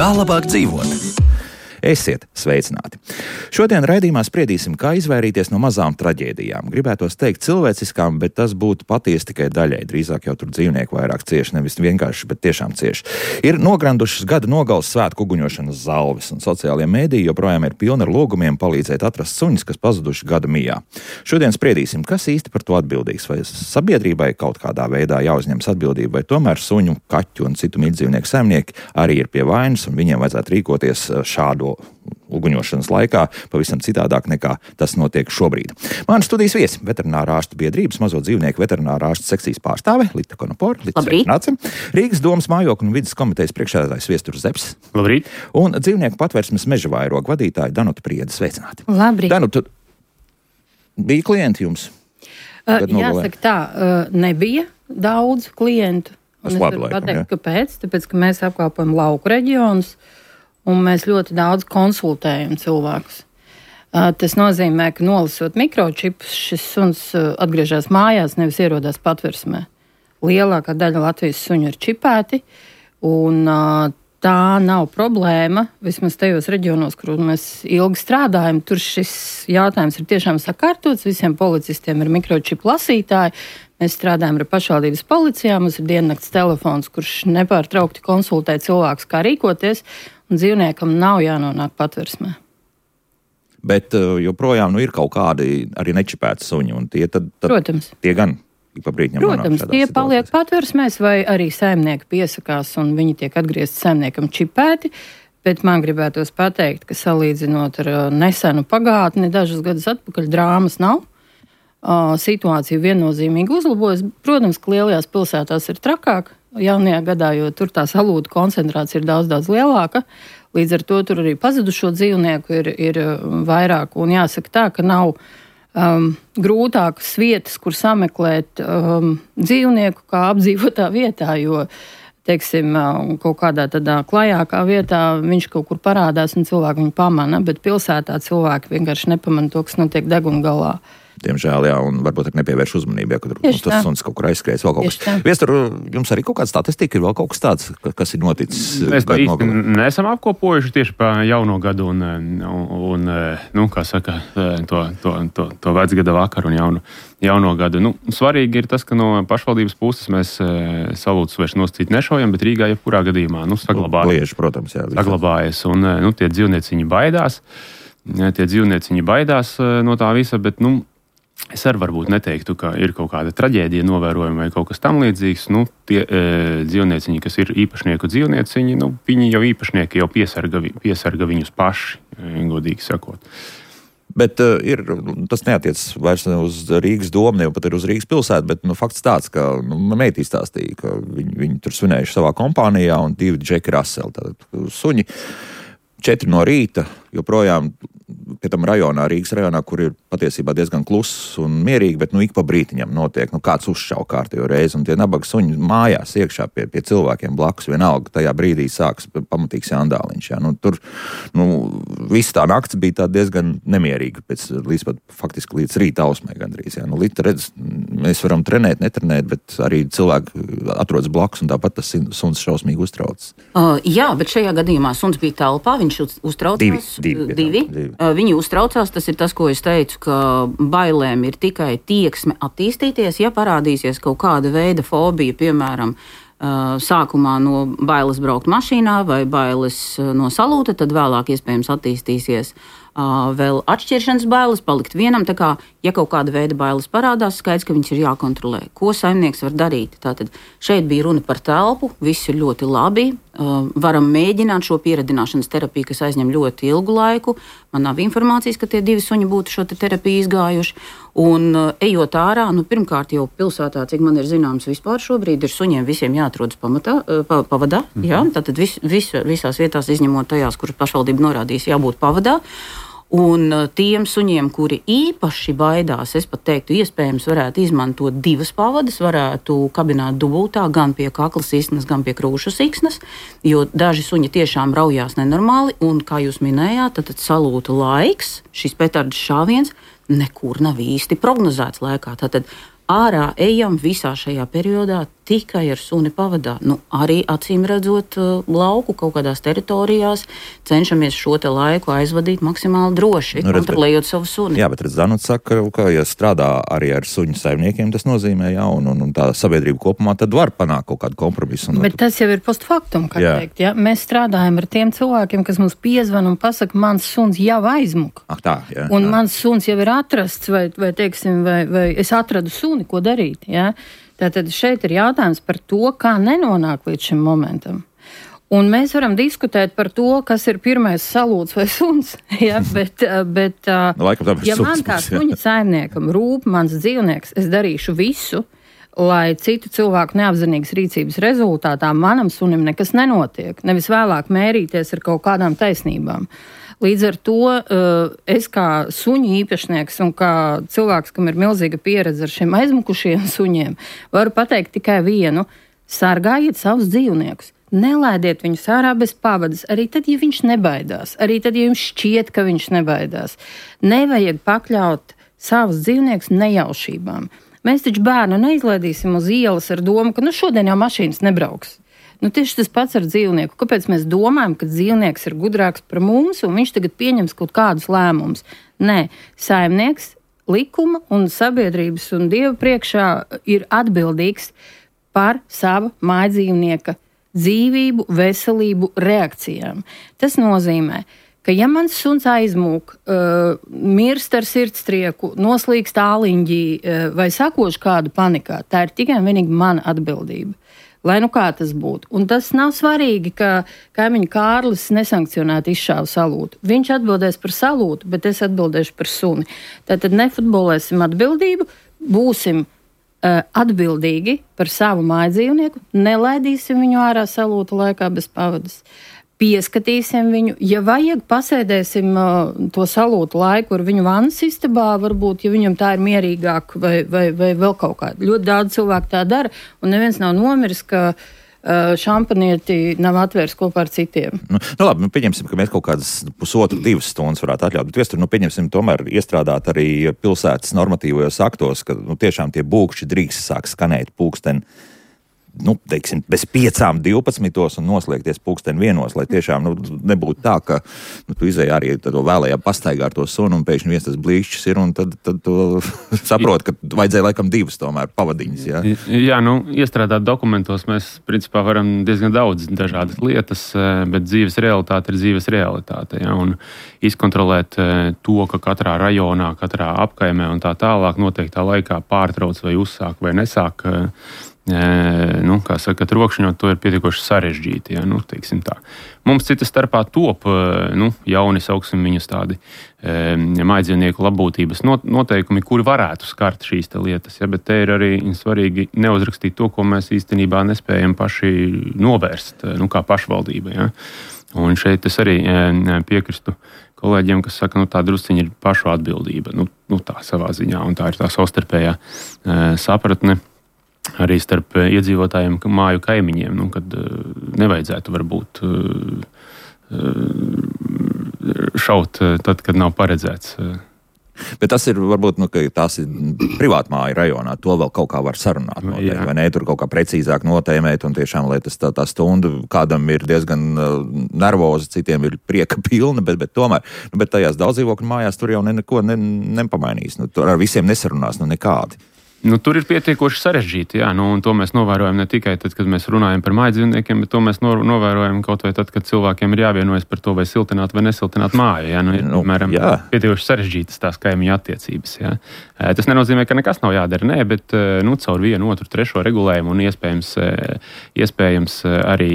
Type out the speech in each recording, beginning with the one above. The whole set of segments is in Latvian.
Kā labāk dzīvot? Esiet sveicināti! Šodien raidījumā spriedīsim, kā izvairīties no mazām traģēdijām. Gribētos teikt cilvēciskām, bet tas būtu patiesi tikai daļai. Drīzāk jau tur dzīvnieki vairāk cieši, nevis vienkārši, bet tiešām cieši. Ir nograndušas gada nogales svētku uguņošanas zalves, un sociālajie mēdīji joprojām ir pilni ar lūgumiem palīdzēt atrast suņus, kas pazuduši gada mijā. Šodien spriedīsim, kas īsti par to atbildīgs, vai sabiedrībai kaut kādā veidā jāuzņemas atbildība, vai tomēr suņu, kaķu un citu mīļdzīvnieku saimnieki arī ir pie vainas, un viņiem vajadzētu rīkoties šādo uguņošanas laikā pavisam citādāk nekā tas notiek šobrīd. Mani studijas viesi - veterinārā ārstu biedrības mazo dzīvnieku veterinārā ārstu sekcijas pārstāve Lita Konopora. Rīgas domas mājokļu un vides komitejas priekšsēdētājs Viesturs Zepes. Labrīt. Un dzīvnieku patvērsmes meža vairogu vadītāja Danuta Priede. Sveicināti. Labrīt. Danuta, bija klienti jums? Jāsaka tā, nebija daudz klientu. Es varu pateikt, kāpēc. Tāpēc, ka mēs apkalpojam lauku reģionus, un mēs ļoti daudz konsultējam cilvēkus. Tas nozīmē, ka nolasot mikročipus, šis suns atgriežas mājās, nevis ierodās patversmē. Lielākā daļa Latvijas suņu ir čipēti, un tā nav problēma. Vismaz tajos reģionos, kur mēs ilgi strādājam, tur šis jautājums ir tiešām sakārtots. Visiem policistiem ir mikročipu lasītāji. Mēs strādājam ar pašvaldības policijām, mums ir diennakts telefons, kurš nepārtraukti konsultē cilvēkus, kā rīkoties, un dzīvniekam nav jānonāk patversmē. Bet joprojām ir kaut kādi arī nečipēti suņi, un tie tad Protams. Tie gan pa brītņam Protams, tie paliek patversmēs, vai arī saimnieki piesakās, un viņi tiek atgriezti saimniekam čipēti, bet man gribētos pateikt, ka salīdzinot ar nesenu pagātni, dažus gadus atpakaļ drāmas nav. Situācija viennozīmīgi uzlabojas. Protams, ka lielajās pilsētās ir trakāk jaunajā gadā, jo tur tā salūtu koncentrācija ir daudz lielāka. Līdz ar to tur arī pazudušo dzīvnieku ir vairāk. Un jāsaka tā, ka nav grūtākas vietas, kur sameklēt dzīvnieku kā apdzīvotā vietā, jo, teiksim, kaut kādā tādā klajākā vietā viņš kaut kur parādās un cilvēki viņu pamana, bet pilsētā cilvēki vienkārši nepamana to, kas notiek deguna galā. Diemžēl, jā, un varbūt arī nepievērš uzmanību, ja, kad tas suns kaut kur aizskrējas, vēl kaut kas. Viestur, jums arī kaut kāda statistika ir vēl kaut kas tāds, kas ir noticis? Mēs neesam apkopojuši tieši pa jauno gadu un kā saka, to vecgada vakaru un jauno gadu. Svarīgi ir tas, ka no pašvaldības puses mēs salūtus vairs nosacīt nešaujam, bet Rīgā jebkurā gadījumā saglabājas. Lieži, protams, jā. Saglabājas, un tie dzīvnieciņi baidās no tā visa, bet, es arī varbūt neteiktu, ka ir kaut kāda traģēdija novērojama vai kaut kas tam līdzīgs. Tie dzīvnieciņi, kas ir īpašnieku dzīvnieciņi, viņi jau īpašnieki jau piesarga viņus paši, godīgi sakot. Bet tas neatiecas vairs uz Rīgas domu, ne pat ir uz Rīgas pilsētu, bet fakts tāds, ka meitī stāstīja, ka viņi tur svinējuši savā kompānijā un 2 Džeki Raseli, tātad suņi. 4 no rīta, joprojām pie tam rajonā, Rīgas rajonā, kur ir patiesībā diezgan kluss un mierīgi, bet ik pa brītiņam notiek, kāds uzšauj kārtējo reizi, un tie nabaga suņi mājās iekšā pie cilvēkiem blakus, vienalga tajā brīdī sāks pamatīgs jandāliņš. Jā. Tur visa tā nakts bija tā diezgan nemierīga, faktiski līdz rīta ausmai gandrīz. Jā. Lita redz, mēs varam trenēt, netrenēt, bet arī cilvēki atrodas blakus, un tāpat tas suns šausmīgi uztrauc. Jā, bet šajā gadījumā suns bija telpā, viņš uztraucās. Divi. Viņi uztraucās, tas ir tas, ko es teicu, ka bailēm ir tikai tieksme attīstīties, ja parādīsies kaut kāda veida fobija, piemēram, sākumā no bailes braukt mašīnā vai bailes no salūta, tad vēlāk iespējams attīstīsies vēl atšķiršanas bailes, palikt vienam. Tā kā, ja kaut kāda veida bailes parādās, skaidrs, ka viņas ir jākontrolē. Ko saimnieks var darīt? Tātad šeit bija runa par telpu, viss ir ļoti labi. Varam mēģināt šo pieradināšanas terapiju, kas aizņem ļoti ilgu laiku. Man nav informācijas, ka tie 2 suņi būtu šo terapiju izgājuši. Un ejot ārā, pirmkārt jau pilsētā, cik man ir zināms, vispār šobrīd ir suņiem visiem jāatrodas pavadā. Jā? Tātad visās vietās, izņemot tajās, kuras pašvaldība norādīs, jābūt pavadā. Un tiem suņiem, kuri īpaši baidās, es pat teiktu, iespējams varētu izmantot 2 pavadas, varētu kabināt dubultā gan pie kakla siksnas, gan pie krūšu siksnas, jo daži suņi tiešām raujās nenormāli, un, kā jūs minējāt, tad salūta laiks, šis petardas šāviens, nekur nav īsti prognozēts laikā. Tātad ārā ejam visā šajā periodā tikai ar suni pavadā. Arī acīm redzot lauku kaut kādās teritorijās, cenšamies šo te laiku aizvadīt maksimāli droši, kontrolējot savu suni. Jā, bet Danuta saka, ka, ja strādā arī ar suņu saimniekiem, tas nozīmē, un tā sabiedrība kopumā, tad var panākt kaut kādu kompromisu. Bet tas jau ir post factum, kā teikt. Ja? Mēs strādājam ar tiem cilvēkiem, kas mums piezvan un pasaka, mans suns jau aizmuka. Un mans suns jau ir atrasts, vai teiksim, vai es atradu suni, ko darīt. Ja? Tātad šeit ir jautājums par to, kā nenonāk līdz šim momentam. Un mēs varam diskutēt par to, kas ir pirmais salūts vai suns. Ja? Bet ja man kā suņa saimniekam rūp mans dzīvnieks, es darīšu visu, lai citu cilvēku neapzinīgas rīcības rezultātā manam sunim nekas nenotiek. Nevis vēlāk mērīties ar kaut kādām taisnībām. Līdz ar to es kā suņu īpašnieks un kā cilvēks, kam ir milzīga pieredze ar šiem aizmukušiem suņiem, varu pateikt tikai vienu: sargājiet savus dzīvniekus. Nelaidiet viņus ārā bez pavadas, arī tad, ja viņš nebaidās, arī tad, ja jums šķiet, ka viņš nebaidās. Nevajag pakļaut savus dzīvniekus nejaušībām. Mēs taču bērnu neizlaidīsim uz ielas ar domu, ka šodien jau mašīnas nebrauks. Tieši tas pats ar dzīvnieku. Kāpēc mēs domājam, ka dzīvnieks ir gudrāks par mums un viņš tagad pieņems kaut kādus lēmumus? Nē, saimnieks likuma un sabiedrības un Dieva priekšā ir atbildīgs par savu mājdzīvnieka dzīvību, veselību, reakcijām. Tas nozīmē, ka ja mans suns aizmūk, mirst ar sirdstrieku, noslīkst āliņģī vai sakož kādu panikā, tā ir tikai un vienīgi mana atbildība. Lai kā tas būtu. Un tas nav svarīgi, ka kaimiņu Kārlis nesankcionētu izšāvu salūtu. Viņš atbildēs par salūtu, bet es atbildēšu par suni. Tātad nefutbolēsim atbildību, būsim atbildīgi par savu mājdzīvnieku, nelaidīsim viņu ārā salūta laikā bez pavadas. Pieskatīsim viņu, ja vajag, pasēdēsim to salūtu laiku ar viņu vannas istabā, varbūt, ja viņam tā ir mierīgāk vai vēl kaut kā. Ļoti daudz cilvēku tā dara, un neviens nav nomiris, ka šampanieti nav atvērs kopā ar citiem. Labi, pieņemsim, ka mēs kaut kādas 1,5–2 stundas varētu atļaut, bet viestur, pieņemsim tomēr iestrādāt arī pilsētas normatīvajos aktos, ka tiešām tie būkšķi drīkst sāk skanēt pulksteni, teiksim, bez 5:12 un noslēgties 1:00, lai tiešām nebūtu tā, ka tu izēji arī to vēlējā pastaigā ar to sunu un pēkšņi viens tas blīšķis ir un tad tu saproti, ka vajadzēja laikam 2 tomēr pavadiņas. Ja? Jā, iestrādāt dokumentos mēs principā varam diezgan daudz dažādas lietas, bet dzīves realitāte ir dzīves realitāte. Ja? Un izkontrolēt to, ka katrā rajonā, katrā apkaimē un tā tālāk noteiktā laikā pārtrauc vai uzsāk vai nesāk kā saka, trokšņot, to ir pietiekoši sarežģīti. Ja, teiksim tā. Mums cita starpā top jauni, sauksim viņus tādi mājdzīvnieku labbūtības noteikumi, kuri varētu skart šīs lietas. Ja, bet te ir arī svarīgi neuzrakstīt to, ko mēs īstenībā nespējam paši novērst, kā pašvaldība. Ja. Un šeit es arī piekristu kolēģiem, kas saka, tā drusciņa ir pašu atbildība. Tā savā ziņā, un tā ir tā savstarpējā sapratne arī starp iedzīvotājiem, māju kaimiņiem, kad nevajadzētu varbūt šaut tad, kad nav paredzēts. Bet tas ir varbūt, ka tās ir privātmāju rajonā, to vēl kaut kā var sarunāt noteikti, vai ne, tur kaut kā precīzāk notēmēt, un tiešām, lai tas tā stunda kādam ir diezgan nervoza, citiem ir prieka pilna, bet tomēr, bet tajās daudzdzīvokļu mājās tur jau neko nepamainīs, tur ar visiem nesarunās, nekādi. Tur ir pietiekoši sarežģīti, un to mēs novērojam ne tikai tad, kad mēs runājam par mājdzīvniekiem, bet to mēs novērojam kaut vai tad, kad cilvēkiem ir jāvienojas par to, vai siltināt vai nesiltināt māju. Piemēram, pietiekoši sarežģītas tās kaimiņu attiecības. Ja. Tas nenozīmē, ka nekas nav jādara, bet caur 1, 2, 3 regulējumu un iespējams arī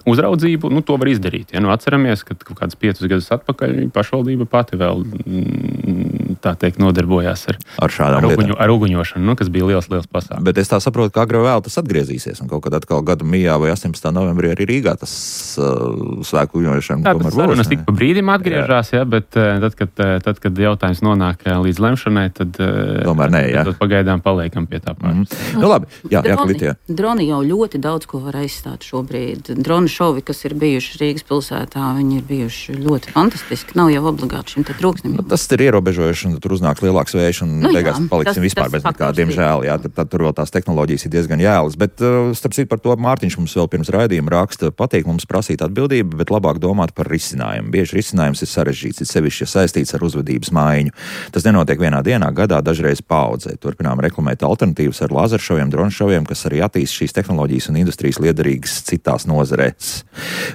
uzraudzību, to var izdarīt. Ja. Atceramies, ka kaut kāds 5 gadus atpakaļ pašvaldība pati vēl tā teikt nodarbojās ar uguņošanu, kas bija liels pasākums. Bet es tā saprotu, ka agrāk vēl tas atgriezīsies, un kaut kad atkal gada mijā vai 18. novembrī arī Rīgā tas svēku uguņošana tomēr būs. Sarunas tik pa brīdim atgriežās, bet tad, kad jautājums nonāk līdz lemšanai, tad pagaidām paliekam pie tā pāris. Labi, Klitija. Droni jau ļoti daudz ko var aizstāt šobrīd. Dronu šovi, kas ir bijuši Rīgas pilsētā, viņi ir bijuši ļoti fantastiski. Nav jau obligāti šim te trūksnim. Tas ir ierobežojošs un tur uznāks lielāks vējš, un beigās paliksim vispār bez nekā, diemžēl, jā, tad tur vēl tās tehnoloģijas ir diezgan jēlas. Bet, starp citu, par to Mārtiņš mums vēl pirms raidījuma raksta, patīk mums prasīt atbildību, bet labāk domāt par risinājumu. Bieži risinājums ir sarežģīts, ir sevišķi saistīts ar uzvedības maiņu. Tas nenotiek vienā dienā, gadā, dažreiz paudzē. Turpinām reklamēt alternatīvas ar lazeršoviem, dronšoviem, kas arī attīst šīs tehnoloģijas un industrijas liederīgas citās nozarēs.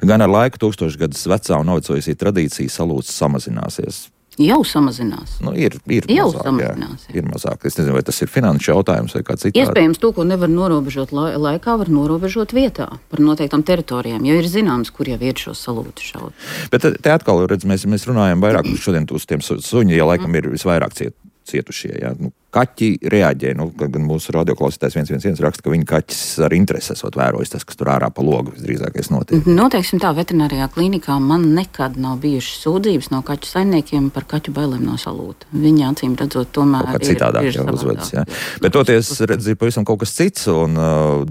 Gan ar laiku tūkstošgadus vecā un novecojusī tradīcija salūts samazināsies. Jau samazinās. Ir jau mazāk, samazinās. Ir mazāk. Es nezinu, vai tas ir finanšu jautājums vai kā citādi. Iespējams, to, ko nevar norobežot laikā, var norobežot vietā par noteiktām teritorijām, jo ir zināms, kur jau ir šo salūtu šaut. Bet te atkal, redz, mēs runājam vairāk šodien uz tiem suņi, ja laikam ir visvairāk cietušie. Jā. Kaķi reaģē, gan mūsu radioklausītājs 111 raksta, ka viņa kaķis ar interesi esot vērojis tas, kas tur ārā pa logu visdrīzākais notiek. Noteiksim tā, veterinārijā klīnikā man nekad nav bijušas sūdzības no kaķu saimniekiem par kaķu bailēm no salūta. Viņi acīm redzot tomēr ir citādāk jau uzvedas, jā. Bet toties, redz, ir pavisam kaut kas cits, un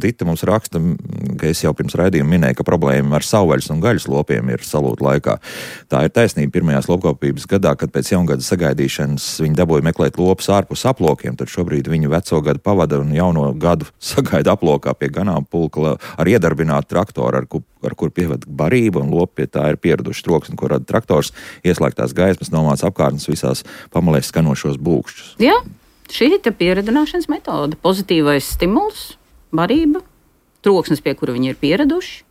Dita mums raksta, ka es jau pirms raidījuma minēju, ka problēma ar savvaļas un gaļas lopiem ir salūta laikā. Tā ir taisnība pirmajās lopkopības gadā, kad pēc jaungada sagaidīšanas viņi dabūja meklēt lopus ārpus aplokiem, tad šobrīd viņi veco gadu pavada un jauno gadu sagaida aplokā pie ganāmpulka ar iedarbinātu traktoru, ar kur pievada barība, un lopi pie tā ir pieraduši troksni, ko rada traktors, ieslēgtās gaismas, nomāca apkārtnes visās pamalēs skanošos būkšķus. Jā, šī ir pieredināšanas metode. Pozitīvais stimuls, barība, troksnis, pie kura viņi ir pieraduši.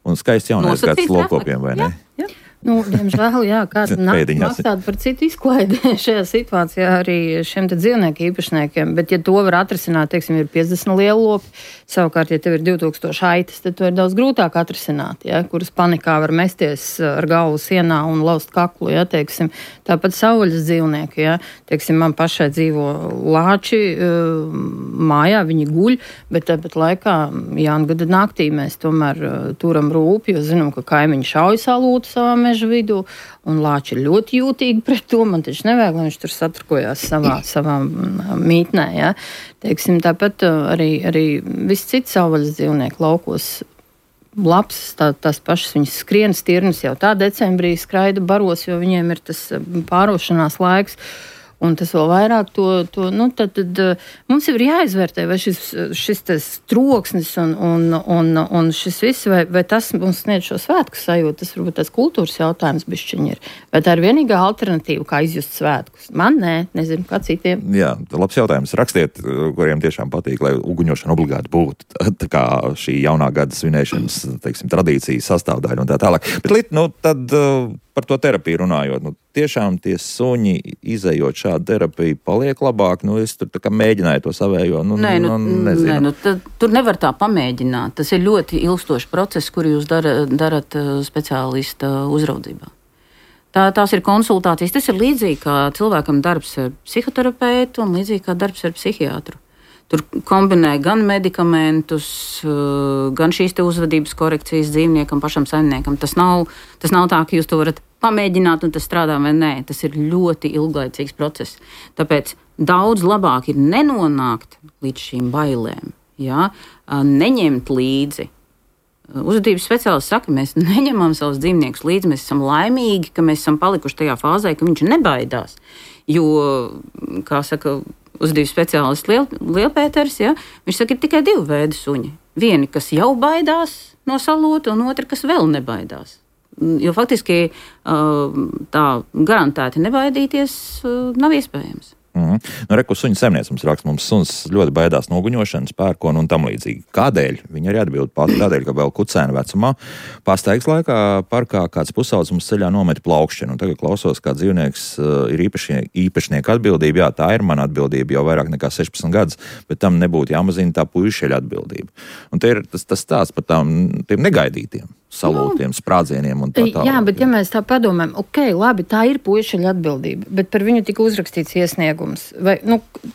Un skaists jaunais gads lopkopiem, vai ne? Jā. Diemžēl, kāda maksāta par citu izklaidi šajā situācijā arī šiem te dzīvnieku īpašniekiem, bet ja to var atrisināt, teiksim, ir 50 lielu lopi, savukārt, ja tev ir 2000 aitas, tad to ir daudz grūtāk atrisināt, kuras panikā var mesties ar galvu sienā un laust kaklu, teiksim, tāpat savvaļas dzīvnieki, teiksim, man pašai dzīvo lāči mājā, viņi guļ, bet tāpat laikā jāngada naktī mēs tomēr turam rūpi, jo zinām, ka kaimiņi šauj salūtu savā meža vidū, un lāči ir ļoti jūtīgi pret to, man taču nevajag, lai viņš tur satrukojās savā mītnē, Teiksim, tāpat arī viss cits savvaļas dzīvnieku laukos labs, tās pašas viņas skrien, stirnas jau tā decembrī skraida baros, jo viņiem ir tas pārošanās laiks. Un tas vēl vairāk tad mums jau ir jāizvērtē, vai šis troksnis un šis viss, vai tas mums sniedz šo svētku sajūtu, tas varbūt tas kultūras jautājums bišķiņ ir. Vai tā ir vienīgā alternatīva, kā izjust svētkus? Man nezinu, kā citiem. Jā, labs jautājums. Rakstiet, kuriem tiešām patīk, lai uguņošana obligāti būtu. Tā kā šī jaunā gada svinēšanas, teiksim, tradīcijas sastāvdaļa un tā tālāk. Bet, tad par to terapiju runājot, tiešām tie suņi, izejot šādu terapiju, paliek labāk. Es tur tā kā mēģināju to savējo. Nezinu. Tur nevar tā pamēģināt. Tas ir ļoti ilgstošs process, kur jūs darat speciālista uzraudzībā. Tās ir konsultācijas. Tas ir līdzīgi kā cilvēkam darbs ar psihoterapeitu un līdzīgi kā darbs ar psihiatru. Tur kombinē gan medikamentus, gan šīs te uzvedības korekcijas dzīvniekam, pašam saimniekam. Tas nav tā, ka jūs to varat pamēģināt un tas strādā vai nē. Tas ir ļoti ilglaicīgs process. Tāpēc daudz labāk ir nenonākt līdz šīm bailēm, neņemt līdzi. Uzvedības speciālists saka, mēs neņemam savus dzīvniekus līdzi, mēs esam laimīgi, ka mēs esam palikuši tajā fāzē, ka viņš nebaidās. Jo, kā saka uzvedības speciālists Lielpēters, viņš saka, ir tikai divi veidi suņi. Vieni, kas jau baidās no salūta, un otri, kas vēl nebaidās. Jo faktiski tā garantēti nebaidīties nav iespējams. Reku suņu saimniece mums raksta, mums suns ļoti baidās no uguņošanas, pērkona un tam līdzīgi. Kādēļ? Viņa arī atbild pati tādēļ, ka vēl kucēna vecumā pastaigas laikā parkā kāds pusaudzis mums ceļā nometa plaukšķinu. Un tagad klausos, kā dzīvnieks ir īpašnieka atbildība. Jā, tā ir mana atbildība jau vairāk nekā 16 gadus, bet tam nebūtu jāmazina tā puišeļa atbildība. Un te ir tas stāsts par tiem negaidītiem salūtiem, sprādzieniem un tā tālāk. Jā, bet ja mēs tā padomājam, labi, tā ir puišeļa atbildība, bet par viņu tika uzrakstīts iesniegums. Vai,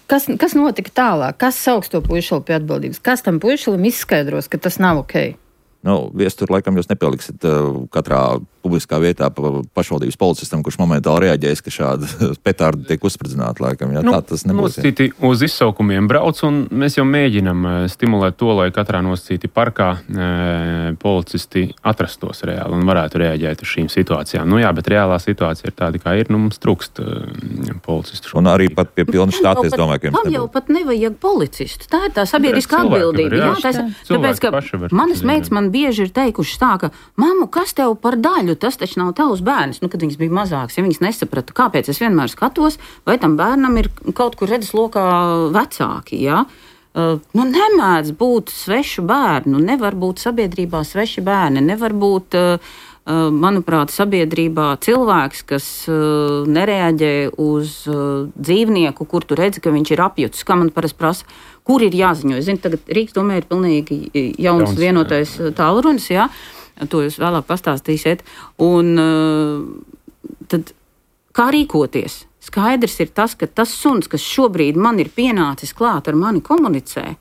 kas notika tālāk? Kas sauks to puišeli pie atbildības? Kas tam puišelim izskaidros, ka tas nav ok? Viestur, laikam, jūs nepieliksit katrā publiskā vietā pašvaldības policistam, kurš momentāli reaģēs, ka šāda petārda tiek uzspridzināta laikam. Jā, tā tas nebūs. Nosacīti uz izsaukumiem brauc, un mēs jau mēģinam stimulēt to, lai katrā nosacīti parkā policisti atrastos reāli un varētu reaģēt uz šīm situācijām. Nu jā, bet reālā situācija ir tāda, kā ir, mums trūkst policistu. Un arī pat pie pilna štata, es domāju, ka jums nebūs. Jau pat nevajag policistu. Tā ir tā sabiedriskā atbildība. Tāpēc, ka manas meitas man bieži ir teikušas tā, ka mammu, kas tev par daļu, tas taču nav tavs bērns. Nu, kad viņas bija mazāks, ja viņas nesaprata, kāpēc es vienmēr skatos, vai tam bērnam ir kaut kur redzes lokā vecāki, jā. Nu, nemēdz būt svešu bērnu, nevar būt sabiedrībā sveši bērni, nevar būt, manuprāt, sabiedrībā cilvēks, kas nereaģē uz dzīvnieku, kur tu redzi, ka viņš ir apjutis, kā man parasti prasa, kur ir jāziņo. Es zinu, tagad Rīgas domē ir pilnīgi jauns vienotais tālrunis, jā, to jūs vēlāk pastāstīsiet. Un tad kā rīkoties? Skaidrs ir tas, ka tas suns, kas šobrīd man ir pienācis klāt ar mani komunicē,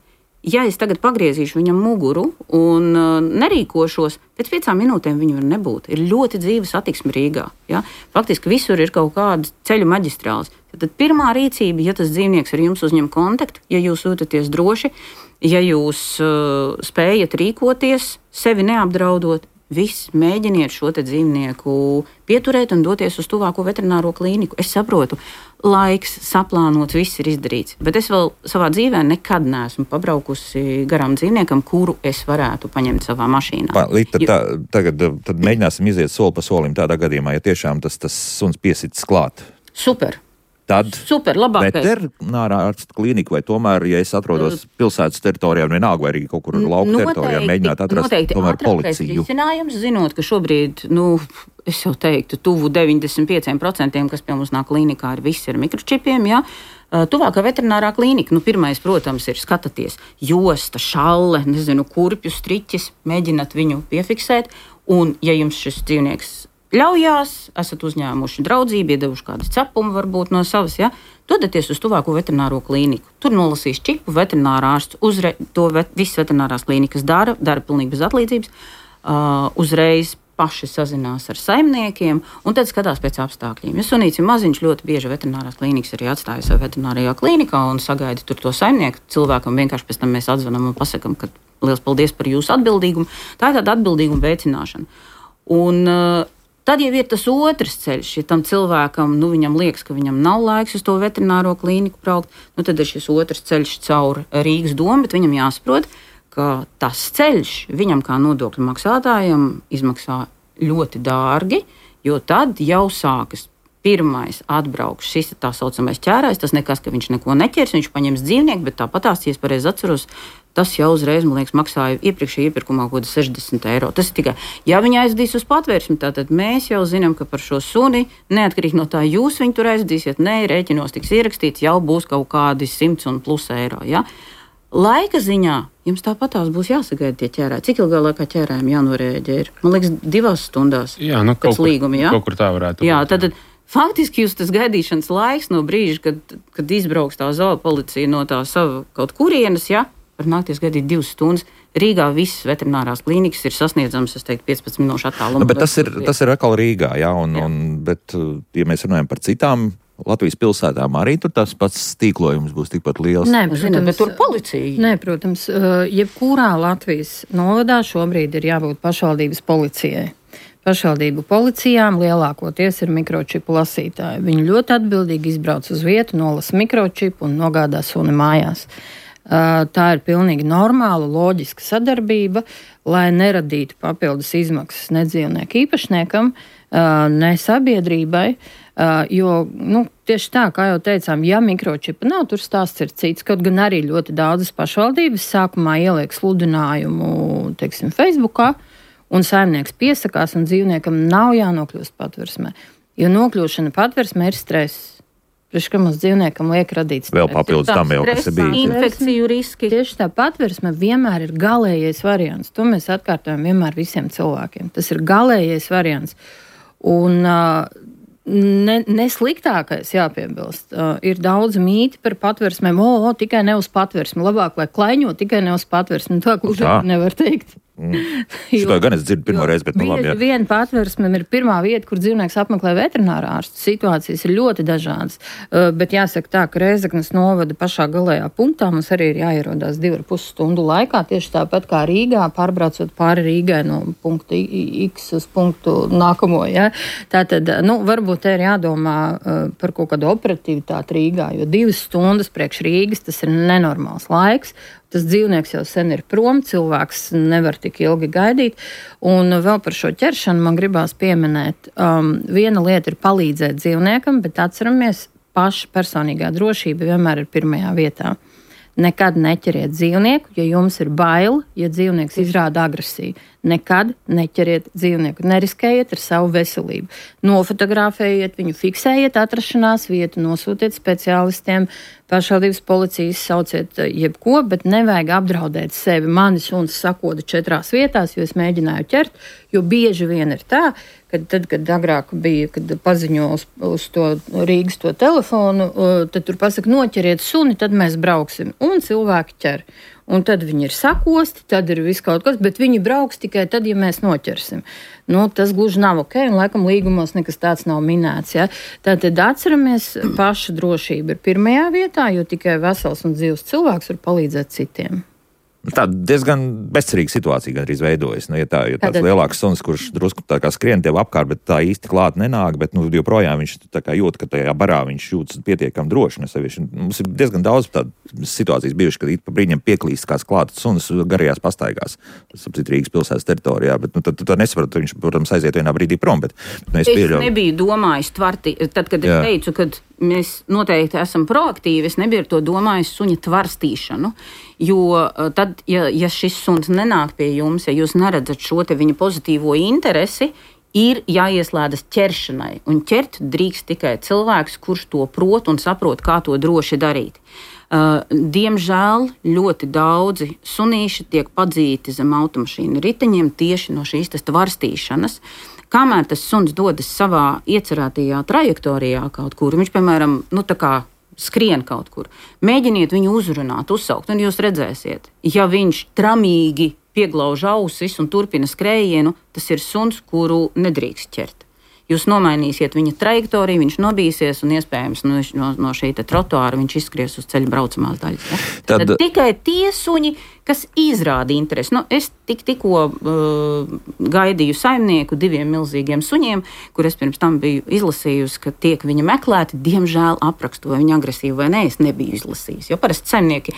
ja es tagad pagriezīšu viņam muguru un nerīkošos, pēc 5 minūtēm viņu var nebūt. Ir ļoti dzīva satiksme Rīgā. Ja? Faktiski visur ir kaut kāda ceļu maģistrāls. Tad pirmā rīcība, ja tas dzīvnieks ar jums uzņem kontaktu, ja jūs jūtaties droši, ja jūs spējat rīkoties, sevi neapdraudot, viss mēģiniet šo te dzīvnieku pieturēt un doties uz tuvāko veterināro klīniku. Es saprotu, laiks, saplānots, viss ir izdarīts, bet es vēl savā dzīvē nekad neesmu pabraukusi garām dzīvniekam, kuru es varētu paņemt savā mašīnā. Tagad mēģināsim iziet soli pa solim tādā gadījumā, ja tiešām tas suns piesits klāt. Super. Tad labākais. Veterinārā ārsta klīnika vai tomēr, ja es atrodos pilsētas teritorijā, vienalga vai arī kaut kur lauka teritorijā, mēģināt atrast tomēr policiju. Risinājums, zinot, ka šobrīd, es jau teiktu, tuvu 95%, kas pie mums nāk klīnikā, visi ar mikročipiem, jā. Tuvākā veterinārā klīnika, pirmais, protams, ir skatāties josta, šalle, kurpju striķis, mēģināt viņu piefiksēt, un ja jums šis dzīvnieks ļaujās, esat uzņēmuši draudzību, iedevuši kādu cepumu varbūt no savas, ja, dodaties uz tuvāko veterināro klīniku. Tur nolasīs čipu, veterinārā ārsts, visas veterinārās klīnikas dara pilnīgi bez atlīdzības, uzreiz paši sazinās ar saimniekiem un tad skatās pēc apstākļiem. Ja sunīts ir maziņš, ļoti bieži veterinārās klīnikas arī atstāja sev veterinārajā klīnikā un sagaida tur to saimnieku. Cilvēkam vienkārši pēc tam mēs atzvanam un pasakam, ka liels paldies par jūsu atbildīgumu. Tā ir tāda atbildīguma veicināšana. Un tad jau ir tas otrs ceļš, ja tam cilvēkam, viņam liekas, ka viņam nav laiks uz to veterināro klīniku braukt, tad ir šis otrs ceļš caur Rīgas domu, bet viņam jāsaprot, ka tas ceļš viņam kā nodokļu maksātājam izmaksā ļoti dārgi, jo tad jau sākas pirmais atbraukš šis tā saucamais ķērājs, tas nekas, ka viņš neko neķers, viņš paņems dzīvnieku, bet tāpatās, ja es pareizi atceros, tas jau uzreiz, man liekas, maksāja iepriekšējā iepirkumā kaut kādi 60 eiro. Tas ir tikai, ja viņi aizdīs uz patvērsmi, tātad mēs jau zinām, ka par šo suni, neatkarīgi no tā, jūs viņu tur aizdīsiet, rēķinos tiks ierakstīts, jau būs kaut kādi 100 un plus eiro. Ja? Laika ziņā jums tāpatās būs jāsagaida tie ķērāji. Cik ilgā laikā ķērājiem jānorēģē ir? Man liekas, 2 stundās. Jā, pēc līguma, jā? Kaut kur tā varētu būt. Jā, tad faktiski jūs tas gaidīšanas laiks no brīža, kad izbrauks tā zoopolicija no tā sava kaut kurienes, ja, var nākties gaidīt 2 stundas. Rīgā visas veterinārās klīnikas ir sasniedzamas, es teiktu, 15 minūšu attālumā. Bet tas ir atkal Rīgā, jā, bet, ja mēs runājam par citām Latvijas pilsētām, arī tur tas pats tīklojums būs tikpat liels. Nē, protams, bet tur policija. Nē, protams, jebkurā Latvijas novadā šobrīd ir jābūt pašvaldības policijai. Pašvaldību policijām lielākoties ir mikročipu lasītāji. Viņi ļoti atbildīgi izbrauc uz vietu, nolasa mikročipu un nogādā suni mājās. Tā ir pilnīgi normāla, loģiska sadarbība, lai neradītu papildus izmaksas ne dzīvnieku īpašniekam, ne sabiedrībai, jo, tieši tā, kā jau teicām, ja mikročipa nav, tur stāsts ir cits, kaut gan arī ļoti daudzas pašvaldības sākumā ieliek sludinājumu, teiksim, Facebookā, un saimnieks piesakās, un dzīvniekam nav jānokļūst patversmē, jo nokļūšana patversmē ir stress. Priekš, ka mums dzīvniekam liek radīt vēl papildus tam jau, kas ir bijis. Infekciju riski. Tieši tā patversme vienmēr ir galējais variants. To mēs atkārtojam vienmēr visiem cilvēkiem. Tas ir galējais variants. Un ne sliktākais jāpiebilst. Ir daudz mīti par patversmēm. Tikai ne uz patversmi. Labāk, lai klaiņo, tikai ne uz patversmi. Tā gluži nevar teikt. Šito gan es dzirdu pirmo reizi, bet labi. Viena patversme ir pirmā vieta, kur dzīvnieks apmeklē veterinārā ārstu. Situācijas ir ļoti dažādas, bet jāsaka tā, ka Rēzeknes novada pašā galējā punktā mums arī ir jāierodās 2,5 stundu laikā, tieši tāpat kā Rīgā, pārbraucot pāri Rīgai no punkta X uz punktu nākamo. Ja? Tātad, varbūt te ir jādomā par kaut kādu operatīvitāti Rīgā, jo 2 stundas priekš Rīgas tas ir nenormāls laiks. Tas dzīvnieks jau sen ir prom, cilvēks nevar tik ilgi gaidīt. Un vēl par šo ķeršanu man gribās pieminēt. Viena lieta ir palīdzēt dzīvniekam, bet atceramies, paša personīgā drošība vienmēr ir pirmajā vietā. Nekad neķeriet dzīvnieku, ja jums ir bail, ja dzīvnieks izrāda agresiju. Nekad neķeriet dzīvnieku, neriskējiet ar savu veselību. Nofotografējiet viņu, fiksējiet atrašanās vietu, nosūtiet speciālistiem, pašvaldības policijas, sauciet jebko, bet nevajag apdraudēt sevi. Mani suns sakoda 4 vietās, jo es mēģināju ķert, jo bieži vien ir tā, kad agrāk bija, kad paziņo uz to Rīgas to telefonu, tad tur pasaka, noķeriet suni, tad mēs brauksim. Un cilvēki ķer. Un tad viņi ir sakosti, tad ir viss kaut kas, bet viņi brauks tikai tad, ja mēs noķersim. Tas gluži nav ok, un laikam līgumos nekas tāds nav minēts. Ja? Tātad atceramies, paša drošība ir pirmajā vietā, jo tikai vesels un dzīvs cilvēks var palīdzēt citiem. Tā diezgan bezcerīga situācija gandrīz veidojas. Ja tāds lielāks suns, kurš drusku tā kā skrien tev apkārt, bet tā īsti klāt nenāk, bet joprojām viņš tā kā jūt, ka tajā barā viņš jūtas pietiekami droši. Mums ir diezgan daudz tādas situācijas bijušas, kad pa brīņam pieklīst kāds klāts suns garajās pastaigās. Tas apcīt Rīgas pilsētas teritorijā, bet tu tā nesaprati, viņš, protams, aiziet vienā brīdī prom, bet es nebiju domājis tvarti, tad, kad es teicu, kad mēs noteikti esam proaktīvi, es nebiju ar to domājis suņa tvarstīšanu, jo tad, ja šis suns nenāk pie jums, ja jūs neredzat šo te viņa pozitīvo interesi, ir jāieslēdzas ķeršanai, un ķert drīkst tikai cilvēks, kurš to prot un saprot, kā to droši darīt. Diemžēl ļoti daudzi sunīši tiek padzīti zem automašīnu riteņiem tieši no šīs tvarstīšanas. Kamēr tas suns dodas savā iecerētajā trajektorijā kaut kur, viņš, piemēram, skrien kaut kur, mēģiniet viņu uzrunāt, uzsaukt, un jūs redzēsiet, ja viņš tramīgi pieglauž ausis un turpina skrējienu, tas ir suns, kuru nedrīkst ķert. Jūs nomainīsiet viņa trajektoriju, viņš nobīsies un iespējams no šī trotuāra viņš izskries uz ceļa braucamās daļas. Ja? Tad tikai tie suņi, kas izrāda interesi. Es tikko gaidīju saimnieku 2 milzīgiem suņiem, kur es pirms tam biju izlasījusi, ka tiek viņa meklēti. Diemžēl aprakstu, vai viņa agresīvi vai nē, es nebiju izlasījusi. Jo parasti saimnieki,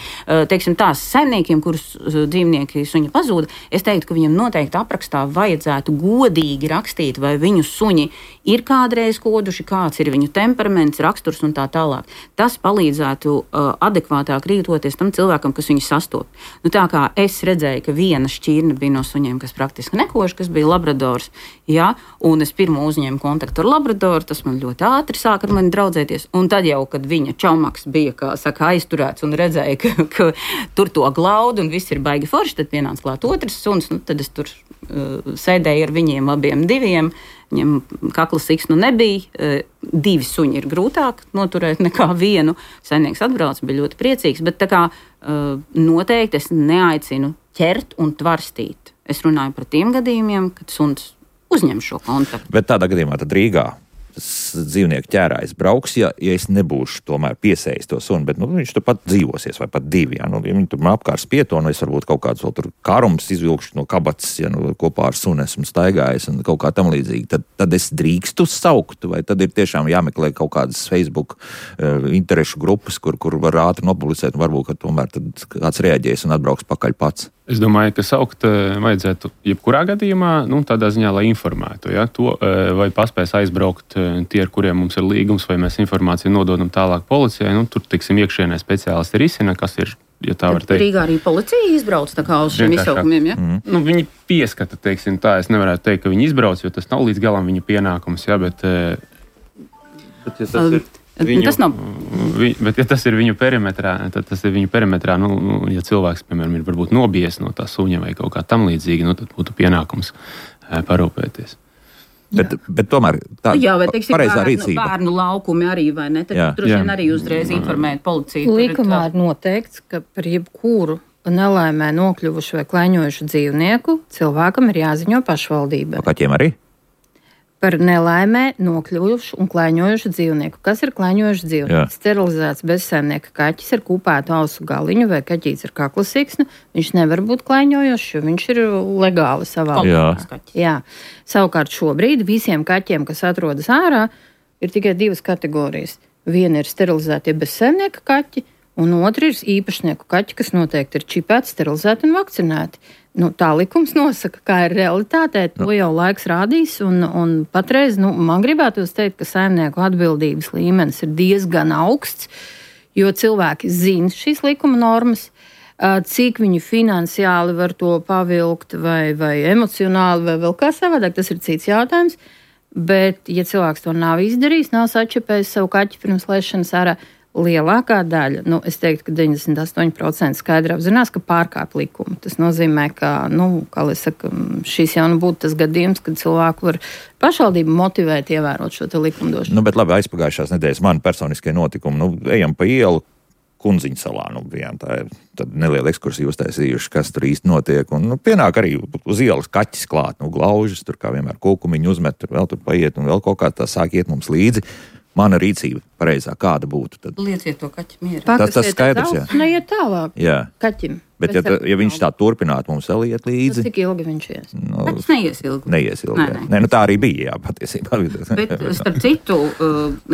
saimniekiem, kurus dzīvnieki suņi pazūda, es teiktu, ka viņam noteikti aprakstā vajadzētu godīgi rakstīt, vai viņu suņi ir kādreiz koduši, kāds ir viņu temperaments, raksturs un tā tālāk. Tas palīdzētu adekvātāk rīkoties tam cilvēkam, kas viņu sastop. Tā kā es redzēju, ka viena šķirne bija no suņiem, kas praktiski nekož, kas bija labradors, ja, un es pirmo uzņēmu kontaktu ar labradoru, tas man ļoti ātri sāka ar mani draudzēties, un tad jau, kad viņa čaumaks bija, kā saka, aizturēts un redzēja, ka tur to glaudu un viss ir baigi forši, tad pienāca klāt otrs suns, tad es tur sēdēju ar viņiem abiem 2, viņam kakla siksnu nebija, 2 suņi ir grūtāk noturēt nekā 1. Saimnieks atbrauc, bija ļoti priecīgs, bet tā kā noteikti es neaicinu ķert un tvarstīt. Es runāju par tiem gadījumiem, kad suns uzņem šo kontaktu. Bet tādā gadījumā tad Rīgā dzīvnieku ķērājs brauks, ja es nebūšu tomēr piesējis to sunu, bet viņš tur pat dzīvosies, vai pat 2. Ja viņi tur man apkārt spieto, es varbūt kaut kādus vēl tur karums izvilkšu no kabatas, ja kopā ar sunu esmu staigājis un kaut kā tam līdzīgi, tad es drīkstu saukt, vai tad ir tiešām jāmeklē kaut kādas Facebook interešu grupas, kur var ātri nopublicēt, un varbūt, ka tomēr tad kāds reaģēs un atbrauks pakaļ pats. Es domāju, ka saukt vajadzētu jebkurā gadījumā, tādā ziņā, lai informētu, ja, to, vai paspēs aizbraukt tie, ar kuriem mums ir līgums, vai mēs informāciju nododam tālāk policijai. Tur, tiksim, iekšienē speciālisti risina, kas ir, ja tā var teikt. Rīgā arī policija izbrauc tā kā uz šiem izsaukumiem, ja? Viņi pieskata, teiksim tā, es nevarētu teikt, ka viņi izbrauc, jo tas nav līdz galam viņa pienākums, ja, bet ja tas ir... Bet, ja tas ir viņu perimetrā, tad tas ir viņu perimetrā, ja cilvēks, piemēram, ir varbūt nobijies no tā suņa vai kaut kā tam līdzīgi, tad būtu pienākums parūpēties. Bet tomēr tā pareizā rīcība. Bērnu laukumi arī, vai ne? Tad droši vien arī uzreiz informēt policiju. Likumā ir noteikts, ka par jebkuru nelaimē nokļuvušu vai klaiņojušu dzīvnieku, cilvēkam ir jāziņo pašvaldībai. Kaķiem arī? Par nelaimē nokļuvušu un klaiņojušu dzīvnieku. Kas ir klaiņojuši dzīvnieks? Sterilizēts bezsaimnieka kaķis ar kūpētu ausu galiņu vai kaķīts ar kaklasīksnu. Viņš nevar būt klaiņojošs, jo viņš ir legāli savā valstī. Jā. Savukārt šobrīd visiem kaķiem, kas atrodas ārā, ir tikai 2 kategorijas. Viena ir sterilizētie bezsaimnieka kaķi, un otra ir īpašnieku kaķi, kas noteikti ir čipēti, sterilizēti un vakcinēti. Tā likums nosaka, kā ir realitātē, to jau laiks rādīs, un patreiz, man gribētos teikt, ka saimnieku atbildības līmenis ir diezgan augsts, jo cilvēki zina šīs likuma normas, cik viņi finansiāli var to pavilkt vai emocionāli vai vēl kā savādāk, tas ir cits jautājums, bet, ja cilvēks to nav izdarījis, nav sačepējis savu kaķi pirms laišanas ārā, lielākā daļa, es teiktu, ka 98% skaidri apzinās, ka pārkāp likumu. Tas nozīmē, ka, kā lai saka, šis jau būtu tas gadījums, kad cilvēku var pašvaldību motivēt ievērot šo te likumdošanu. Bet labi, aizpagājušās nedēļas mani personiskie notikumi, ejam pa ielu Kunziņu salā, tā ir tad neliela ekskursija uztaisījuši, kas tur īsti notiek, un pienāk arī uz ielas kaķis klāt, glaužas, tur kā vienmēr kūkumiņu uzmet, tur vēl tur paiet, un vēl kaut kā tā sāk iet mums līdzi. Mana rīcība pareizā kāda būtu tad? Lieciet to kaķi mierā. Tas skaidrs, jā. Neiet tālāk. Jā. Kaķim. Bet ja viņš tā turpinātu mums vēl iet līdzi. Cik ilgi viņš ies? Kaķis neies ilgi. Neies ilgi. Nē, tā arī bija, jā, patiesībā. Bet, starp citu,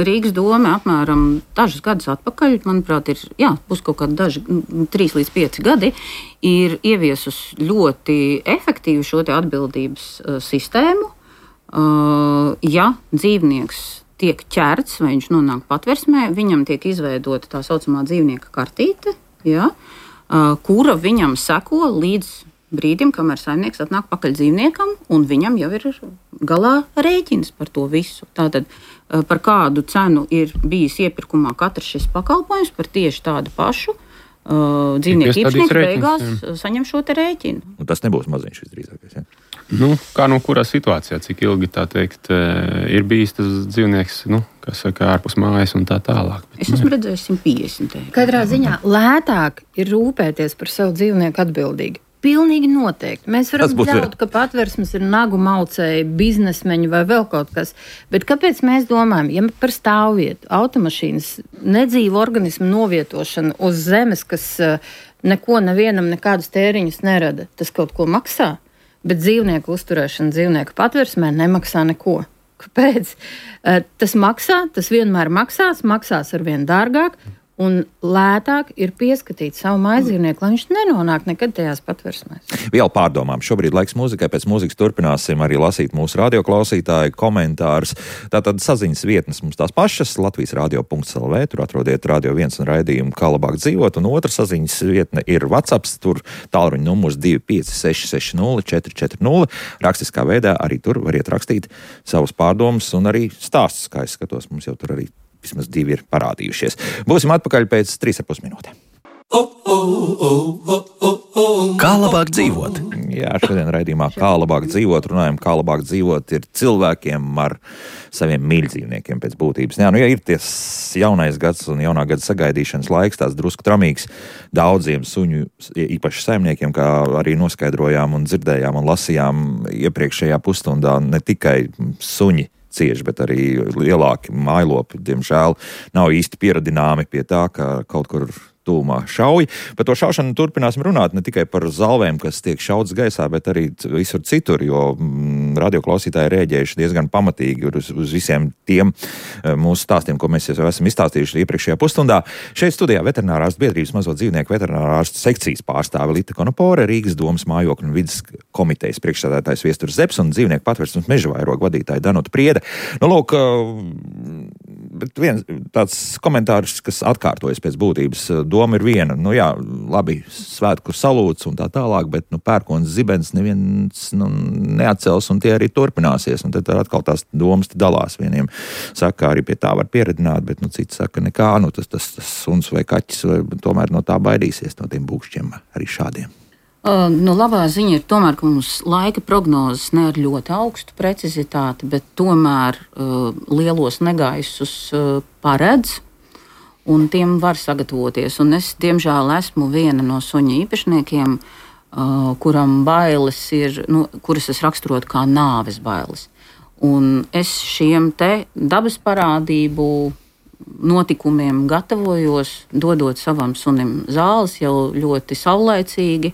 Rīgas doma apmēram dažus gadus atpakaļ, manuprāt, būs kaut kādi 3 līdz 5 gadi, ir ieviesus ļoti efektīvu šo te atbildības sistēmu. Ja dzīvnieks tiek ķerts, vai viņš nonāk patversmē, viņam tiek izveidota tā saucamā dzīvnieka kartīte, kura viņam seko līdz brīdim, kamēr saimnieks atnāk pakaļ dzīvniekam, un viņam jau ir galā rēķins par to visu. Tātad par kādu cenu ir bijis iepirkumā katrs šis pakalpojums, par tieši tādu pašu dzīvnieku īpašnieks beigās saņem šo te rēķinu. Tas nebūs maziņš visdrīzākais, ja? Kā kurā situācijā, cik ilgi tā teikt, ir bijis tas dzīvnieks, kas saka, ārpus mājas un tā tālāk. Es esmu redzējis 150 eiro. Katrā ziņā lētāk ir rūpēties par savu dzīvnieku atbildīgi. Pilnīgi noteikti. Mēs varam ļaut, ka patversmes ir nagu maucēji, biznesmeņi vai vēl kaut kas. Bet kāpēc mēs domājam, ja par stāvvietu, automašīnas, nedzīvu organismu novietošanu uz zemes, kas neko nevienam nekādus tēriņus nerada, tas kaut ko maksā? Bet dzīvnieku uzturēšana dzīvnieku patversmē nemaksā neko. Kāpēc? Tas maksā, tas vienmēr maksās arvien dārgāk, un lētāk ir pieskatīt savu mājdzīvnieku, lai viņš nenonāk nekad tajās patversmēs. Vēl pārdomām. Šobrīd laiks mūzikai, pēc mūzikas turpināsim arī lasīt mūsu radioklausītāju komentārus. Tātad saziņas vietnes mums tās pašas, Latvijas radio.lv, tur atrodiet Radio 1 un raidījumu Kā labāk dzīvot, un otra saziņas vietne ir WhatsApps, tur tālruņa numurs 25660 440. Rakstiskā veidā arī tur variet rakstīt savus pārdomus un arī stāstus, kā es skatos, mums jau tur arī vismaz 2 ir parādījušies. Būsim atpakaļ pēc 3,5 minūtēm. Kā labāk dzīvot? Jā, šodien raidījumā Kā labāk dzīvot runājam, kā labāk dzīvot ir cilvēkiem ar saviem mīļdzīvniekiem pēc būtības. Jā, ja ir ties jaunais gads un jaunā gada sagaidīšanas laiks, tās drusku tramīgs daudziem suņu, īpaši saimniekiem, kā arī noskaidrojām un dzirdējām un lasījām iepriekšējā pusstundā, ne tikai suņi cieši, bet arī lielāki mājlopi, diemžēl, nav īsti pieradināmi pie tā, ka kaut kur tūmā šauj. Par to šaušanu turpināsim runāt ne tikai par zalvēm, kas tiek šauts gaisā, bet arī visur citur, jo radioklausītāji rēģējuši diezgan pamatīgi uz visiem tiem mūsu stāstiem, ko mēs jau esam izstāstījuši iepriekšējā pusstundā. Šeit studijā Veterinārārstu biedrības mazo dzīvnieku veterinārārstu sekcijas pārstāve Lita Konopore, Rīgas domas mājokļu un vides komitejas priekšsēdētājs Viesturs Zepes un dzīvnieku patversmes mežavairogu vadītāja Danuta Priede. Lūk, bet viens tāds komentārs, kas atkārtojas pēc būtības, doma ir viena, labi, svētku salūts un tā tālāk, bet pērkons zibens neviens neatcels un tie arī turpināsies. Un tad atkal tās domas dalās. Vieniem saka, arī pie tā var pieredināt, bet citi saka, nekā, tas suns vai kaķis vai tomēr no tā baidīsies, no tiem būkšķiem arī šādiem. Labā ziņa ir tomēr, ka mums laika prognozes ne ar ļoti augstu precizitāti, bet tomēr lielos negaisus paredz. un tiem var sagatavoties. Un es, diemžēl, esmu viena no suņa īpašniekiem, kuram bailes ir, kuras es raksturotu kā nāves bailes. Un es šiem te dabas parādību notikumiem gatavojos, dodot savam sunim zāles jau ļoti saulaicīgi,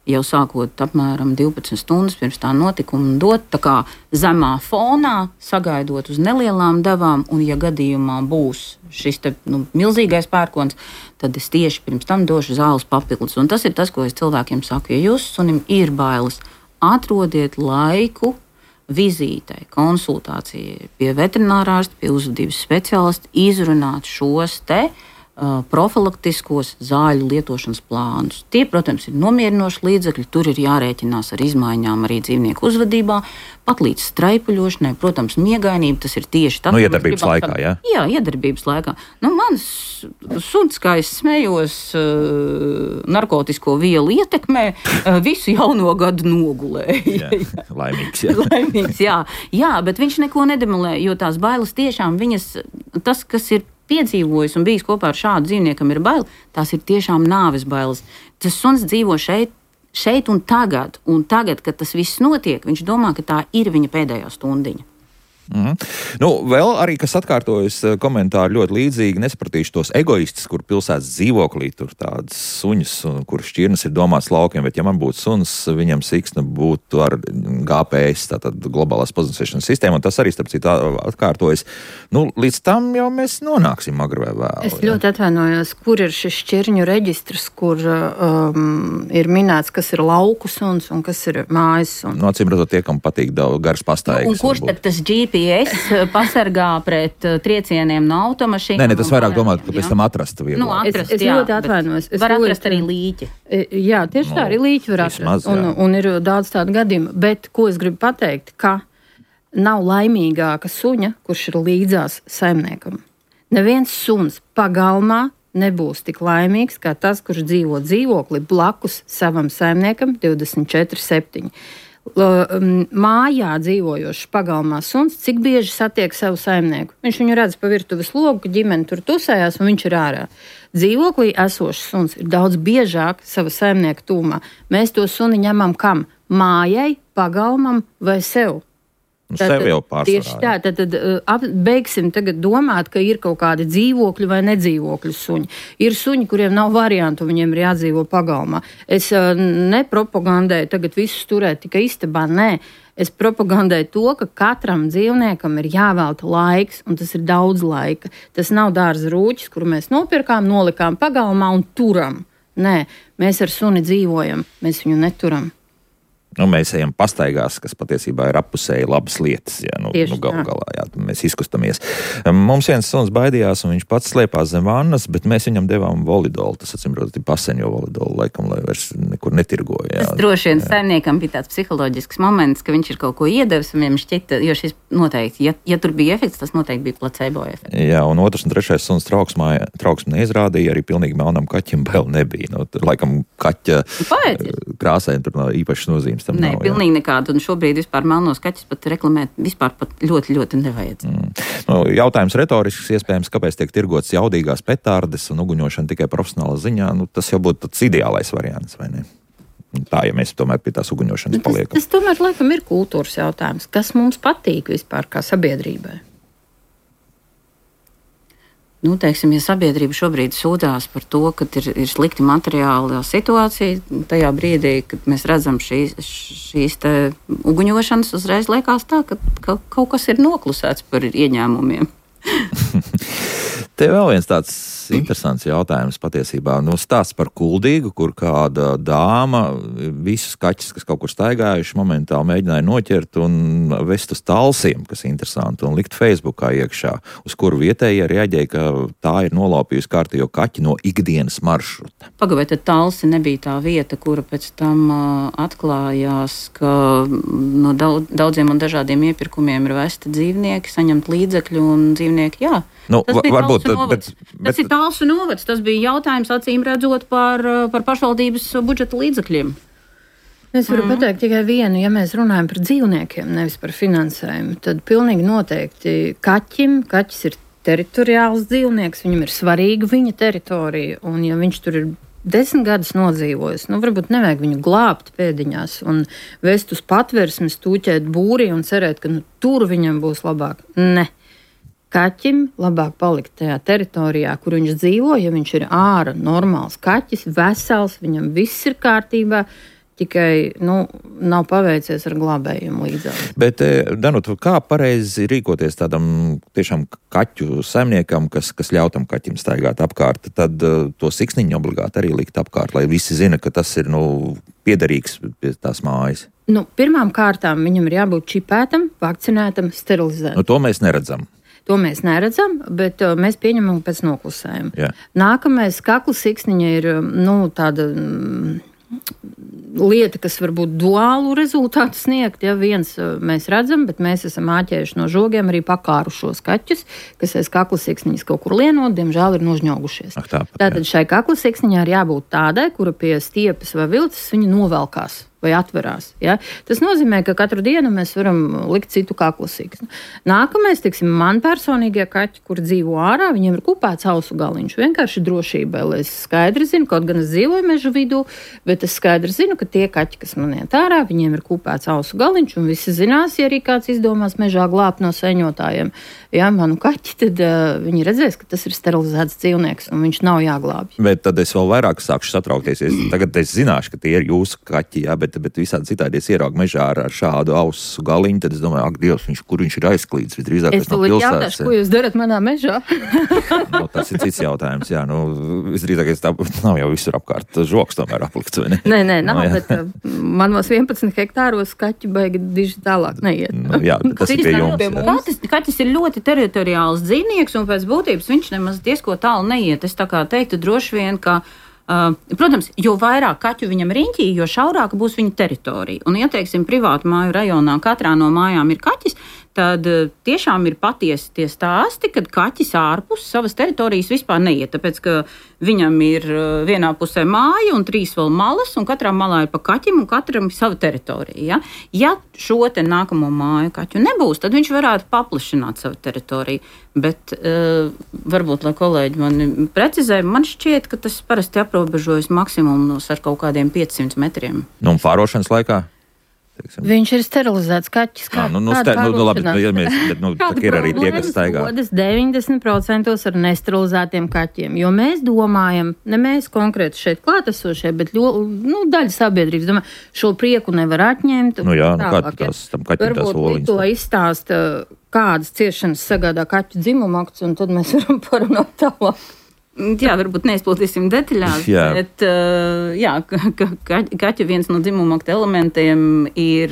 jau sākot apmēram 12 stundas pirms tā notikuma dot, tā kā zemā fonā, sagaidot uz nelielām devām, un ja gadījumā būs šis te, milzīgais pērkons, tad es tieši pirms tam došu zāles papildus. Un tas ir tas, ko es cilvēkiem saku, ja jūsu sunim ir bailes, atrodiet laiku vizītei, konsultācijai pie veterinārārsta, pie uzvedības speciālista, izrunāt šos te profilaktiskos zāļu lietošanas plānus. Tie, protams, ir nomierinoši līdzekļi, tur ir jārēķinās ar izmaiņām arī dzīvnieku uzvedībā, pat līdz straipuļošanai, protams, miegainība, tas ir tieši tas, iedarbības laikā, jā? Jā, iedarbības laikā. Mans suns, kā es smējos, narkotisko vielu ietekmē, visu jauno gadu nogulēja. Jā, laimīgs, jā. Laimīgs, jā. Jā, bet viņš neko nedemolē, jo tās bailes tiešām viņas, tas, kas ir piedzīvojis un bijis kopā ar šādu dzīvniekam ir baili, tās ir tiešām nāves bailes. Tas suns dzīvo šeit un tagad, kad tas viss notiek, viņš domā, ka tā ir viņa pēdējā stundiņa. Vēl arī, kas atkārtojas komentāri ļoti līdzīgi, nesapratīšu tos egoistus, kur pilsētas dzīvoklī tur tādas suņas, kur šķirnes ir domāts laukiem, bet ja man būtu suns, viņam siksna būtu ar GPS, tātad globālās pozicionēšanas sistēma, un tas arī, starp citu, atkārtojas. Līdz tam jau mēs nonāksim agri vai vēl. Es ļoti atvainojos, kur ir šis šķirņu reģistrs, kur ir minēts, kas ir lauku suns un kas ir mājas suns. Acīm redzot, tie, kam patīk daudz garas pastaigas. Un kurš tad tas GPS pasargā pret triecieniem no automašīnām? Nē, tas vairāk domāt, ka pēc tam atrastu vielu. Es ļoti atvainojos. Var atrast arī līķi. Jā, tieši tā arī līķi var atrast. Un ir daudz tādu gadījumu. Bet, ko es gribu pateikt, ka nav laimīgāka suņa, kurš ir līdzās saimniekam. Neviens suns pagalmā nebūs tik laimīgs, kā tas, kurš dzīvo dzīvokli blakus savam saimniekam 24/7. Mājā dzīvojošs pagalmā suns, cik bieži satiek savu saimnieku. Viņš viņu redz pa virtuves logu, ka ģimene tur tusējās un viņš ir ārā. Dzīvoklī esošs suns ir daudz biežāk sava saimnieka tūmā. Mēs to suni ņemam kam? Mājai, pagalmam vai sev? Sev jau pārsvarā. Tieši tā, tad beigsim tagad domāt, ka ir kaut kādi dzīvokļi vai nedzīvokļu suņi. Ir suņi, kuriem nav variantu, viņiem ir jādzīvo pagalmā. Es nepropagandēju tagad visus turēt tikai istabā, nē. Es propagandēju to, ka katram dzīvniekam ir jāvelta laiks, un tas ir daudz laika. Tas nav dārza rūķis, kuru mēs nopirkām, nolikām pagalmā un turam. Nē, mēs ar suni dzīvojam, mēs viņu neturam. Mēs ejam pastaigās, kas patiesībā ir appusēji labas lietas. Jā, galu galā, jā, mēs izkustamies. Mums viens suns baidījās, un viņš pats slēpās zem vannas, bet mēs viņam devām volidolu. Tas, acīm redzot, ir paseņo volidolu, laikam, lai vairs nekur netirgoja. Tas droši vien saimniekam bija tāds psiholoģisks moments, ka viņš ir kaut ko iedevis, un viņam šķita, jo šis noteikti, ja tur bija efekts, tas noteikti bija placebo efekts. Jā, un otrs un trešais suns trauksmi neizrādīja, arī pilnīgi melnam kaķim vēl nebija. Tur, laikam, kaķa krāsai tur nav īpašas nozīmes. Nē, pilnīgi nekādu. Un šobrīd vispār melnos kaķus pat reklamēt vispār pat ļoti, ļoti nevajadzētu. Jautājums retorisks, iespējams, kāpēc tiek tirgots jaudīgās petārdes un uguņošana tikai profesionāla ziņā. Tas jau būtu tāds ideālais variants, vai ne? Tā, ja mēs tomēr pie tās uguņošanas paliekam. Tas tomēr, laikam, ir kultūras jautājums. Kas mums patīk vispār kā sabiedrībai? Teiksim, ja sabiedrība šobrīd sūdzās par to, ka ir slikti materiāla situācija, tajā brīdī, kad mēs redzam šīs te uguņošanas, uzreiz liekas tā, ka kaut kas ir noklusēts par ieņēmumiem. Te vēl viens tāds interesants jautājums patiesībā. Stāsts par Kuldīgu, kur kāda dāma visus kaķus, kas kaut kur staigājuši, momentāli mēģināja noķert un vest uz talsiem, kas interesanti, un likt Facebookā iekšā, uz kuru vietēji reaģēja, ka tā ir nolaupījusi kārtējo kaķi no ikdienas maršruta. Pagaidām, tad talsi nebija tā vieta, kura pēc tam atklājās, ka no daudziem un dažādiem iepirkumiem ir vesti dzīvnieki, saņemt līdzekļu un dzīvnieki, jā. Tas ir Talsu novads. Tas bija jautājums, acīm redzot, par pašvaldības budžeta līdzekļiem. Es varu pateikt tikai vienu, ja mēs runājam par dzīvniekiem, nevis par finansējumu, tad pilnīgi noteikti kaķis ir teritoriāls dzīvnieks, viņam ir svarīga viņa teritorija, un ja viņš tur ir 10 gadus nodzīvojis, varbūt nevajag viņu glābt pēdiņās un vest uz patversmes, tūķēt būrī un cerēt, ka tur viņam būs labāk. Ne. Kaķim labāk palikt tajā teritorijā, kur viņš dzīvo, ja viņš ir ārā normāls kaķis, vesels, viņam viss ir kārtībā, tikai nav paveicies ar glābējumu līdzās. Bet, Danuta, kā pareizi rīkoties tādam tiešām kaķu saimniekam, kas ļautam kaķim staigāt apkārt, tad to siksniņu obligāti arī likt apkārt, lai visi zina, ka tas ir piederīgs pie tās mājas? Pirmām kārtām viņam ir jābūt čipētam, vakcinētam, sterilizētam. To mēs neredzam. To mēs neredzam, bet mēs pieņemam pēc noklusējuma. Jā. Nākamais kakla siksniņa ir tāda lieta, kas varbūt duālu rezultātu sniegt. Ja viens mēs redzam, bet mēs esam āķējuši no žogiem arī pakārušos kaķus, kas aiz kakla siksniņas kaut kur lienot, diemžēl ir nožņaugušies. Tātad šai kakla siksniņā ir jābūt tādai, kura pie stiepes vai vilces viņa novelkās vai atverās. Ja? Tas nozīmē, ka katru dienu mēs varam likt citu kakla siksni. Nākamais, man personīgie kaķi, kur dzīvo ārā, viņiem ir kupēts ausu galiņš. Vienkārši drošībai, lai es skaidri zinu, kaut gan es dzīvoju mežu vidū, bet es skaidri zinu, ka tie kaķi, kas man iet ārā, viņiem ir kupēts ausu galiņš, un visi zinās, ja arī kāds izdomās mežā glābt no seņotājiem, manu kaķi, tad viņi redzēs, ka tas ir sterilizēts dzīvnieks, un viņš nav jāglābj. Bet tad es vēl vairāk sākšu satraukties. Tagad es zināšu, ka tie ir jūsu kaķi, bet visādi citādi es ieraugu mežā ar šādu ausu galiņu, tad es domāju, ak, Dievs, kur viņš ir aizklīdis, visdrīzāk tas nav pilsētas. Es jautāšu, ko jūs darat manā mežā? Tas ir cits jautājums, jā. Visdrīzāk, tā nav jau visur apkārt žoks tomēr aplikts, vai ne? Nē, nav, bet manos 11 hektāros kaķi baigi diži tālāk neiet. Jā, tas ir pie jums. Kaķis ir ļoti teritoriāls dzīvnieks, un pēc būtības viņš nemaz diezko tālu neiet. Es tā kā teiktu droši vien, ka protams, jo vairāk kaķu viņam riņķī, jo šaurāka būs viņa teritorija. Un, ja teiksim, privātu māju rajonā katrā no mājām ir kaķis, tad tiešām ir patiesi tie stāsti, kad kaķis ārpus savas teritorijas vispār neiet, tāpēc, ka viņam ir vienā pusē māja un 3 vēl malas, un katrā malā ir pa kaķim, un katram ir sava teritorija. Ja šo te nākamo māju kaķu nebūs, tad viņš varētu paplašināt savu teritoriju. Bet varbūt, lai kolēģi mani precizē, man šķiet, ka tas parasti aprobežojas maksimums ar kaut kādiem 500 metriem. Un pārošanas laikā? Teiksim. Viņš ir sterilizēts kaķis. Labi, bet ir arī tie, kas staigā. 90% ar nesterilizētiem kaķiem, jo mēs domājam, ne mēs konkrēti šeit klātesošie, bet daļa sabiedrības domā, šo prieku nevar atņemt. Tam kaķim tās oliņas. To izstāsta, kādas ciešanas sagādā kaķu dzimumakts, un tad mēs varam parunāt tālāk. Jā, varbūt neizplatīsim detaļās, bet kaķa viens no dzimumakta elementiem ir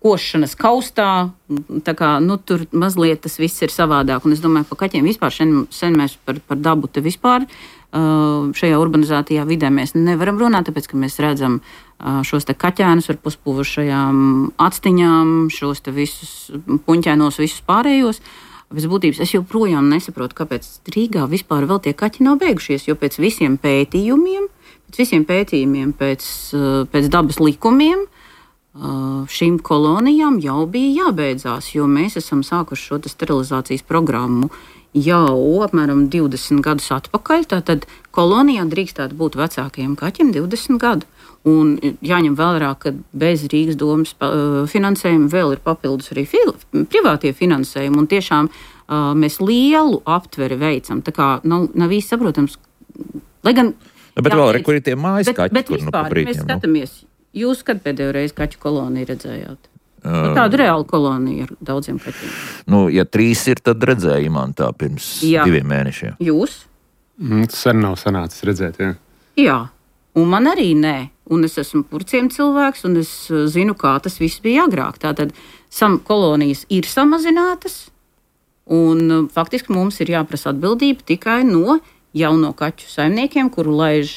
košanas kaustā, tā kā, tur mazliet tas viss ir savādāk, un es domāju, par kaķiem vispār sen mēs par dabu te vispār šajā urbanizētajā vidē mēs nevaram runāt, tāpēc, ka mēs redzam šos te kaķēnus ar puspūvušajām actiņām, šos te visus puņķēnos, visus pārējos. Pēc būtības es joprojām nesaprotu, kāpēc Rīgā vispār vēl tie kaķi nav beigušies, jo pēc visiem pētījumiem, pēc dabas likumiem, šīm kolonijām jau bija jābeidzās, jo mēs esam sākuši šo sterilizācijas programmu jau apmēram 20 gadus atpakaļ, tātad kolonijā drīkstētu būt vecākajiem kaķiem 20 gadu. Un jāņem vērā, ka bez Rīgas domas finansējuma vēl ir papildus arī privātie finansējumi, un tiešām mēs lielu aptveri veicam. Tā kā nav īsti saprotams. Lai gan, bet vēl kur ir tie mājas kaķi, bet vispār mēs skatāmies. Jūs kad pēdējo reizi kaķu koloniju redzējāt? Tādu reālu koloniju ar daudziem kaķiem. Ja 3 ir, tad redzēju man tā pirms 2 mēnešiem. Jūs? Tas arī nav sanācis redzēt, jā. Jā, un man arī nē. Un es esmu purciem cilvēks, un es zinu, kā tas viss bija agrāk. Tātad kolonijas ir samazinātas, un faktiski mums ir jāprasa atbildība tikai no jauno kaķu saimniekiem, kuru laiž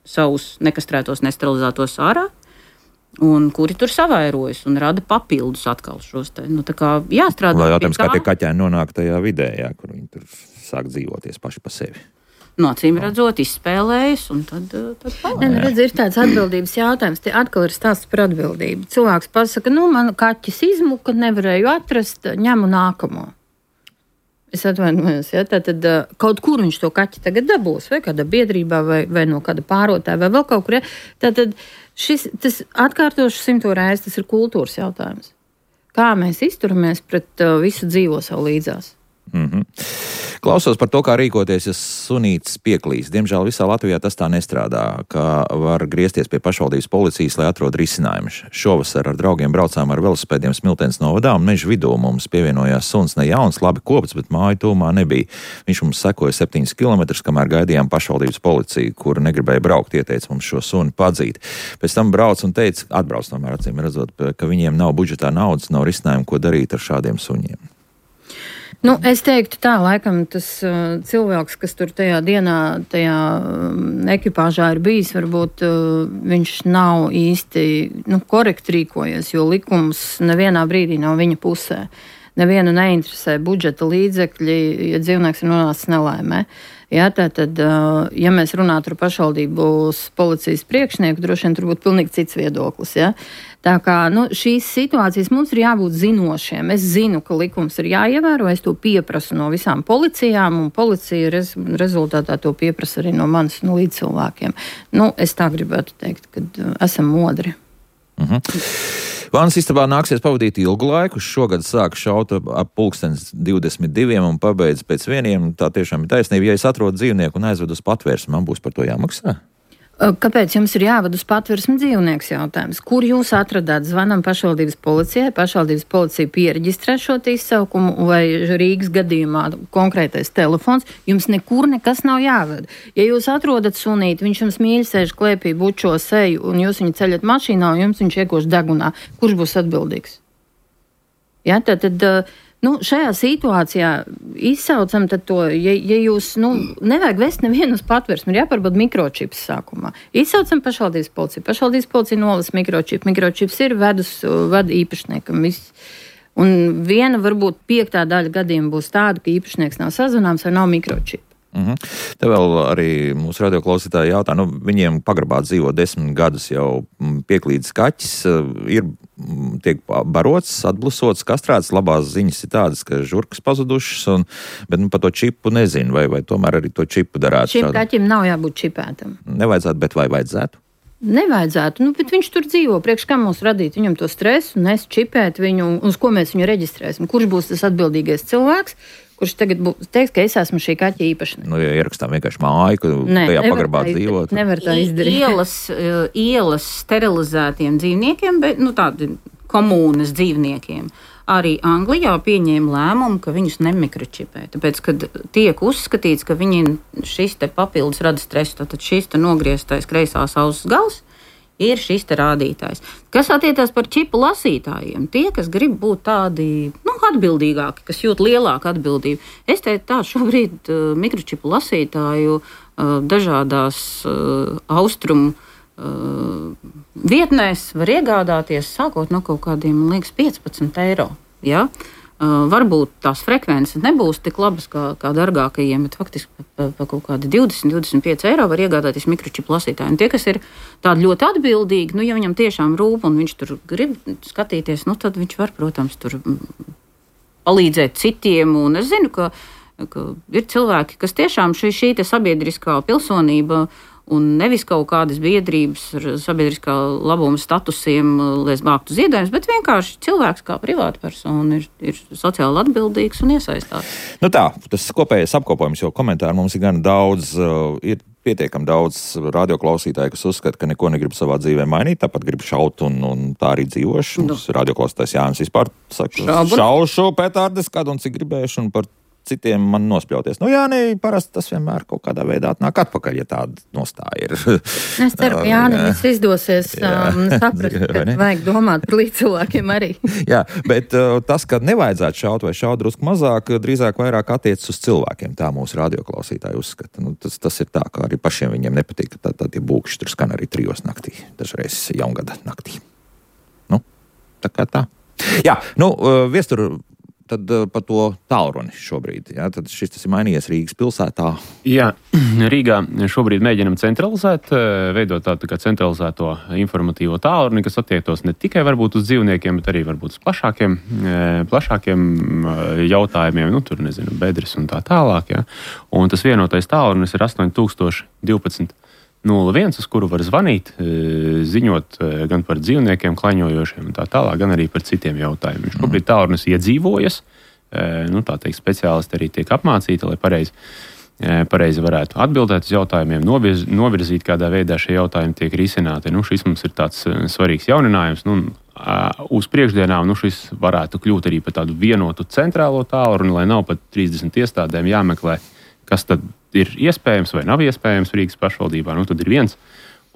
savus nekastrētos, nesterilizētos ārā, un kuri tur savairojas un rada papildus atkal šos te. Tā kā jāstrādā. Lai jautājums, kā tie kaķēni nonāk tajā vidē, kur viņi tur sāk dzīvoties paši pa sevi. Acīm redzot, izspēlējas, un tad ir tāds atbildības jautājums. Te atkal ir stāsts par atbildību. Cilvēks pasaka, man kaķis izmuka, nevarēju atrast, ņemu nākamo. Es atvainojos, ja, tātad kaut kur viņš to kaķi tagad dabūs, vai kādā biedrībā, vai no kāda pārotāja, vai vēl kaut kur. Ja. Tātad tas atkārtoši 100 reizes, tas ir kultūras jautājums. Kā mēs izturamies pret visu dzīvo savu līdzās? Klausos par to, kā rīkoties, ja sunītis pieklīst. Diemžēl visā Latvijā tas tā nestrādā, ka var griezties pie pašvaldības policijas, lai atrod risinājumu. Šovasar ar draugiem braucām ar velosipēdiem Smiltenes novadā un meža vidū mums pievienojās suns ne jauns, labi kopts, bet māju tūmā nebija. Viņš mums sekoja 7 kilometrus, kamēr gaidījām pašvaldības policiju, kura negribēja braukt, ieteica mums šo suni padzīt. Pēc tam brauc un teica, atbrauc tomēr acīm redzot, ka viņiem nav budžetā naudas, nav risinājumu, ko darīt ar šādiem suņiem. Nu, es teiktu tā, laikam tas cilvēks, kas tur tajā dienā, tajā ekipāžā ir bijis, varbūt viņš nav īsti korekti rīkojies, jo likums nevienā brīdī nav viņa pusē. Nevienu neinteresē budžeta līdzekļi, ja dzīvnieks ir nonācis nelaimē. Ja, tātad, ja mēs runātu ar pašvaldības policijas priekšnieku, droši vien tur būtu pilnīgi cits viedoklis. Ja? Tā kā šīs situācijas mums ir jābūt zinošiem. Es zinu, ka likums ir jāievēro, es to pieprasu no visām policijām, un policija rezultātā to pieprasa arī no manis līdzcilvēkiem. Es tā gribētu teikt, kad esam modri. Vānas istabā nāksies pavadīt ilgu laiku. Šogad sāk šaut ap 22 un pabeidz pēc 1. Tā tiešām ir taisnība. Ja es atrodu dzīvnieku un aizvedu uz patvērsmi, man būs par to jāmaksā? Kāpēc jums ir jāved uz patvērsmi dzīvnieks jautājums? Kur jūs atradāt? Zvanam pašvaldības policijai, pašvaldības policija piereģistrē šo izsaukumu, vai Rīgas gadījumā konkrētais telefons, jums nekur nekas nav jāved. Ja jūs atrodat sunīti, viņš jums mīļi sēž klēpī, bučo seju, un jūs viņu ceļat mašīnā, un jums viņš iekoš degunā, kurš būs atbildīgs? Ja, tad šajā situācijā izsaucam to, ja jūs nevajag vest nevienu uz patvērsmi, ir jāpārbauda mikročips sākumā. Izsaucam pašvaldības policiju. Pašvaldības policija nolas mikročipu. Mikročips ir vada īpašniekam. Un viena, varbūt 5. daļa gadījuma būs tāda, ka īpašnieks nav sazvanāms vai nav mikročipa. Te vēl arī mūsu radioklausītāji jautā, viņiem pagrabā dzīvo 10 gadus jau pieklīdis kaķis, tiek barots, atblusots, kastrēts. Labās ziņas ir tādas, ka žurkas pazudušas, bet par to čipu nezinu, vai tomēr arī to čipu darētu. Šim kaķim nav jābūt čipētam. Nevajadzētu, bet vai vajadzētu? Nevajadzētu, bet viņš tur dzīvo. Priekš kā mums radīt viņam to stresu, čipēt viņu, uz ko mēs viņu reģistrēsim? Kurš būs tas atbildīgais cilvēks? Kurš tagad teiks, ka es esmu šī kaķa īpašnieks? Ja ierakstām vienkārši māju, ka tajā pagrabā dzīvot. Nevar tā izdarīt. Ielas sterilizētiem dzīvniekiem, bet tādi komūnas dzīvniekiem. Arī Anglijā pieņēma lēmumu, ka viņus nemikročipē. Tāpēc, kad tiek uzskatīts, ka šis te papildus rada stresu, tad šis te nogrieztais kreisās auss gals ir šis te rādītājs. Kas attiecās par čipu lasītājiem? Tie, kas grib būt tādi atbildīgāki, kas jūt lielāku atbildību. Es teiktu tā, šobrīd mikročipu lasītāju dažādās austrumu vietnēs var iegādāties sākot no kaut kādiem, man liekas, 15 eiro. Ja? Varbūt tās frekvences nebūs tik labas kā dārgākajiem, bet faktiski pa kaut kādi 20-25 eiro var iegādāties mikročipu lasītāju. Un tie, kas ir tādi ļoti atbildīgi, ja viņam tiešām rūp un viņš tur grib skatīties, tad viņš var, protams, tur palīdzēt citiem. Un es zinu, ka ir cilvēki, kas tiešām šī te sabiedriskā pilsonība un nevis kaut kādas biedrības ar sabiedriskā labuma statusiem, lai vāktu ziedojumus, bet vienkārši cilvēks kā privāta persona ir sociāli atbildīgs un iesaistās. Tas kopējais apkopojums, jo komentāru mums ir gan daudz, ir pietiekami daudz radioklausītāju, kas uzskata, ka neko negrib savā dzīvē mainīt, tāpat grib šaut un tā arī dzīvošu. Mums radioklausītājs Jānis vispār saka, šaušu petārdes kādu un cik gribēšu un par citiem man nospļauties. Parasti tas vienmēr kaut kādā veidā atnāk atpakaļ, ja tāda nostāja ir. Es ceru, ka Jānis izdosies saprast, ka vajag domāt par līdzcilvēkiem arī. Jā, bet tas, ka nevajadzētu šaut vai šaut drusku mazāk, drīzāk vairāk attiecas uz cilvēkiem. Tā mūsu radioklausītāji uzskata. Tas ir tā, ka arī pašiem viņiem nepatīk, ka tie būkšķi tur skan arī 3 naktī, dažreiz jaungada naktī. Tā kā tā. Jā, viestur tad par to tālruni šobrīd. Ja? Tad tas ir mainījies Rīgas pilsētā. Jā, Rīgā šobrīd mēģinam centralizēt, veidot tādu kā centralizēto informatīvo tālruni, kas attiektos ne tikai varbūt uz dzīvniekiem, bet arī varbūt uz plašākiem jautājumiem, nu, tur, nezinu, bedres un tā tālāk. Ja? Un tas vienotais tālrunis ir 8012 01, uz kuru var zvanīt, ziņot gan par dzīvniekiem, klaņojošiem un tā tālāk, gan arī par citiem jautājumiem. Šobrīd tālrunis iedzīvojas, nu, tā teikt, speciālisti arī tiek apmācīti, lai pareizi varētu atbildēt uz jautājumiem, novirzīt, kādā veidā šie jautājumi tiek risināti. Nu, šis mums ir tāds svarīgs jauninājums. Nu, uz priekšdienām šis varētu kļūt arī par tādu vienotu centrālo tālruni, lai nav pat 30 iestādēm jāmeklē, kas tad ir iespējams vai nav iespējams Rīgas pašvaldībā. Nu, tad ir viens,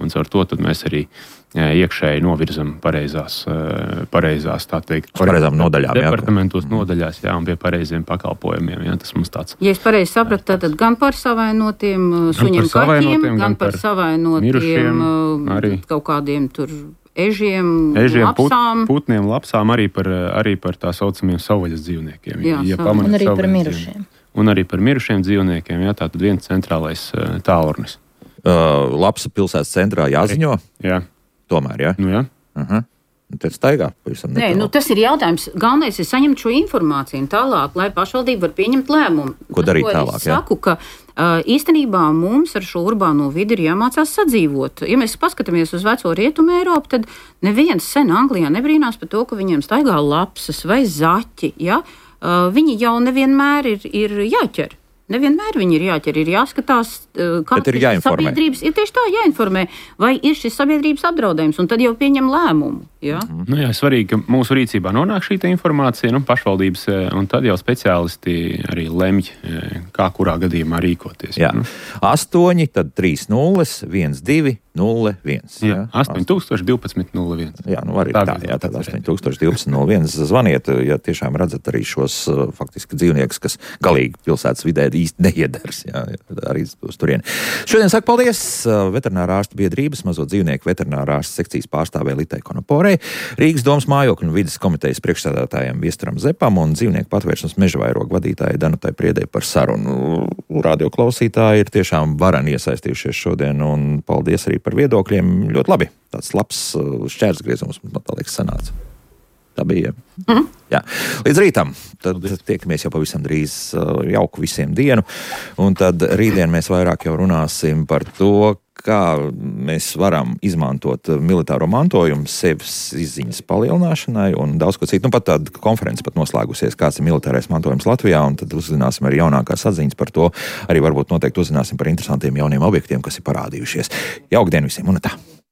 un caur to tad mēs arī iekšēji novirzam pareizās tā teikt, pareizām nodaļām, departamentos nodaļās, jā, un pie pareiziem pakalpojumiem. Jā, tas mums tāds. Ja es pareizi sapratu, tad gan par savainotiem suņiem kaķiem, gan par savainotiem kaut kādiem tur ežiem lapsām. Putniem, lapsām, arī par tā saucamiem savvaļas dzīvniekiem. Un arī par mirušiem. Un arī par mirušiem dzīvniekiem, jā, tātad viens centrālais tālrunis. Lapsa pilsētas centrā jāziņo? Jā. Tomēr, jā? Nu, jā. Tad staigā pavisam netālu. Nē, tas ir jautājums. Galvenais ir saņemt šo informāciju un tālāk, lai pašvaldība var pieņemt lēmumu. Ko darīt tālāk, jā? Es saku, ka īstenībā mums ar šo urbāno vidi ir jāmācās sadzīvot. Ja mēs paskatāmies uz veco Rietumu Eiropu, tad neviens sen Anglijā nebrīnās par to, ka viņiem staigā lapsas vai zaķi, ja? Viņi jau nevienmēr ir jāķer. Nevienmēr viņi ir jāķer, ir jāskatās, kāda ir sabiedrības. Ir tieši tā jāinformē, vai ir šis sabiedrības apdraudējums, un tad jau pieņem lēmumu. Ja? Nu jā, svarīgi, ka mūsu rīcībā nonāk šī informācija, pašvaldības, un tad jau speciālisti arī lemj, kā kurā gadījumā rīkoties. Jā. 8, tad 3 0, 1 2 0 1. Jā, 8012 01. Jā, nu arī tā, jā, tad 8012 01. Zvaniet, ja tiešām redzat arī šos faktiski dzīvniekus, kas galīgi pilsētas vidē īsti neiedars. Jā, arī uz turieni. Šodien saku paldies veterinārā ārstu biedrības mazo dzīvnieku veterinārā ārstu sekcijas pārstāvē Litai Konoporei, Rīgas domas mājokļu un vides komitejas priekšsēdētājiem Viestaram Zepam un dzīvnieku patvēršanas mežavairogu vadītājai Danutai Priedei par sarunu. Radio klausītāji ir tiešām vareni iesaistījušies šodien, un paldies arī par viedokļiem. Ļoti labi. Tāds labs šķērsgriezums, man tā liekas, sanāca. Tā bija. Jā. Līdz rītam. Tad tiekamies jau pavisam drīz. Jauku visiem dienu. Un tad rītdien mēs vairāk jau runāsim par to, kā mēs varam izmantot militāro mantojumu sevis izziņas palielināšanai un daudz ko citu. Nu, pat tāda konference pat noslēgusies, kāds ir militārais mantojums Latvijā, un tad uzzināsim arī jaunākās atziņas par to. Arī varbūt noteikti uzzināsim par interesantiem jauniem objektiem, kas ir parādījušies. Jauku dienu visiem un tā!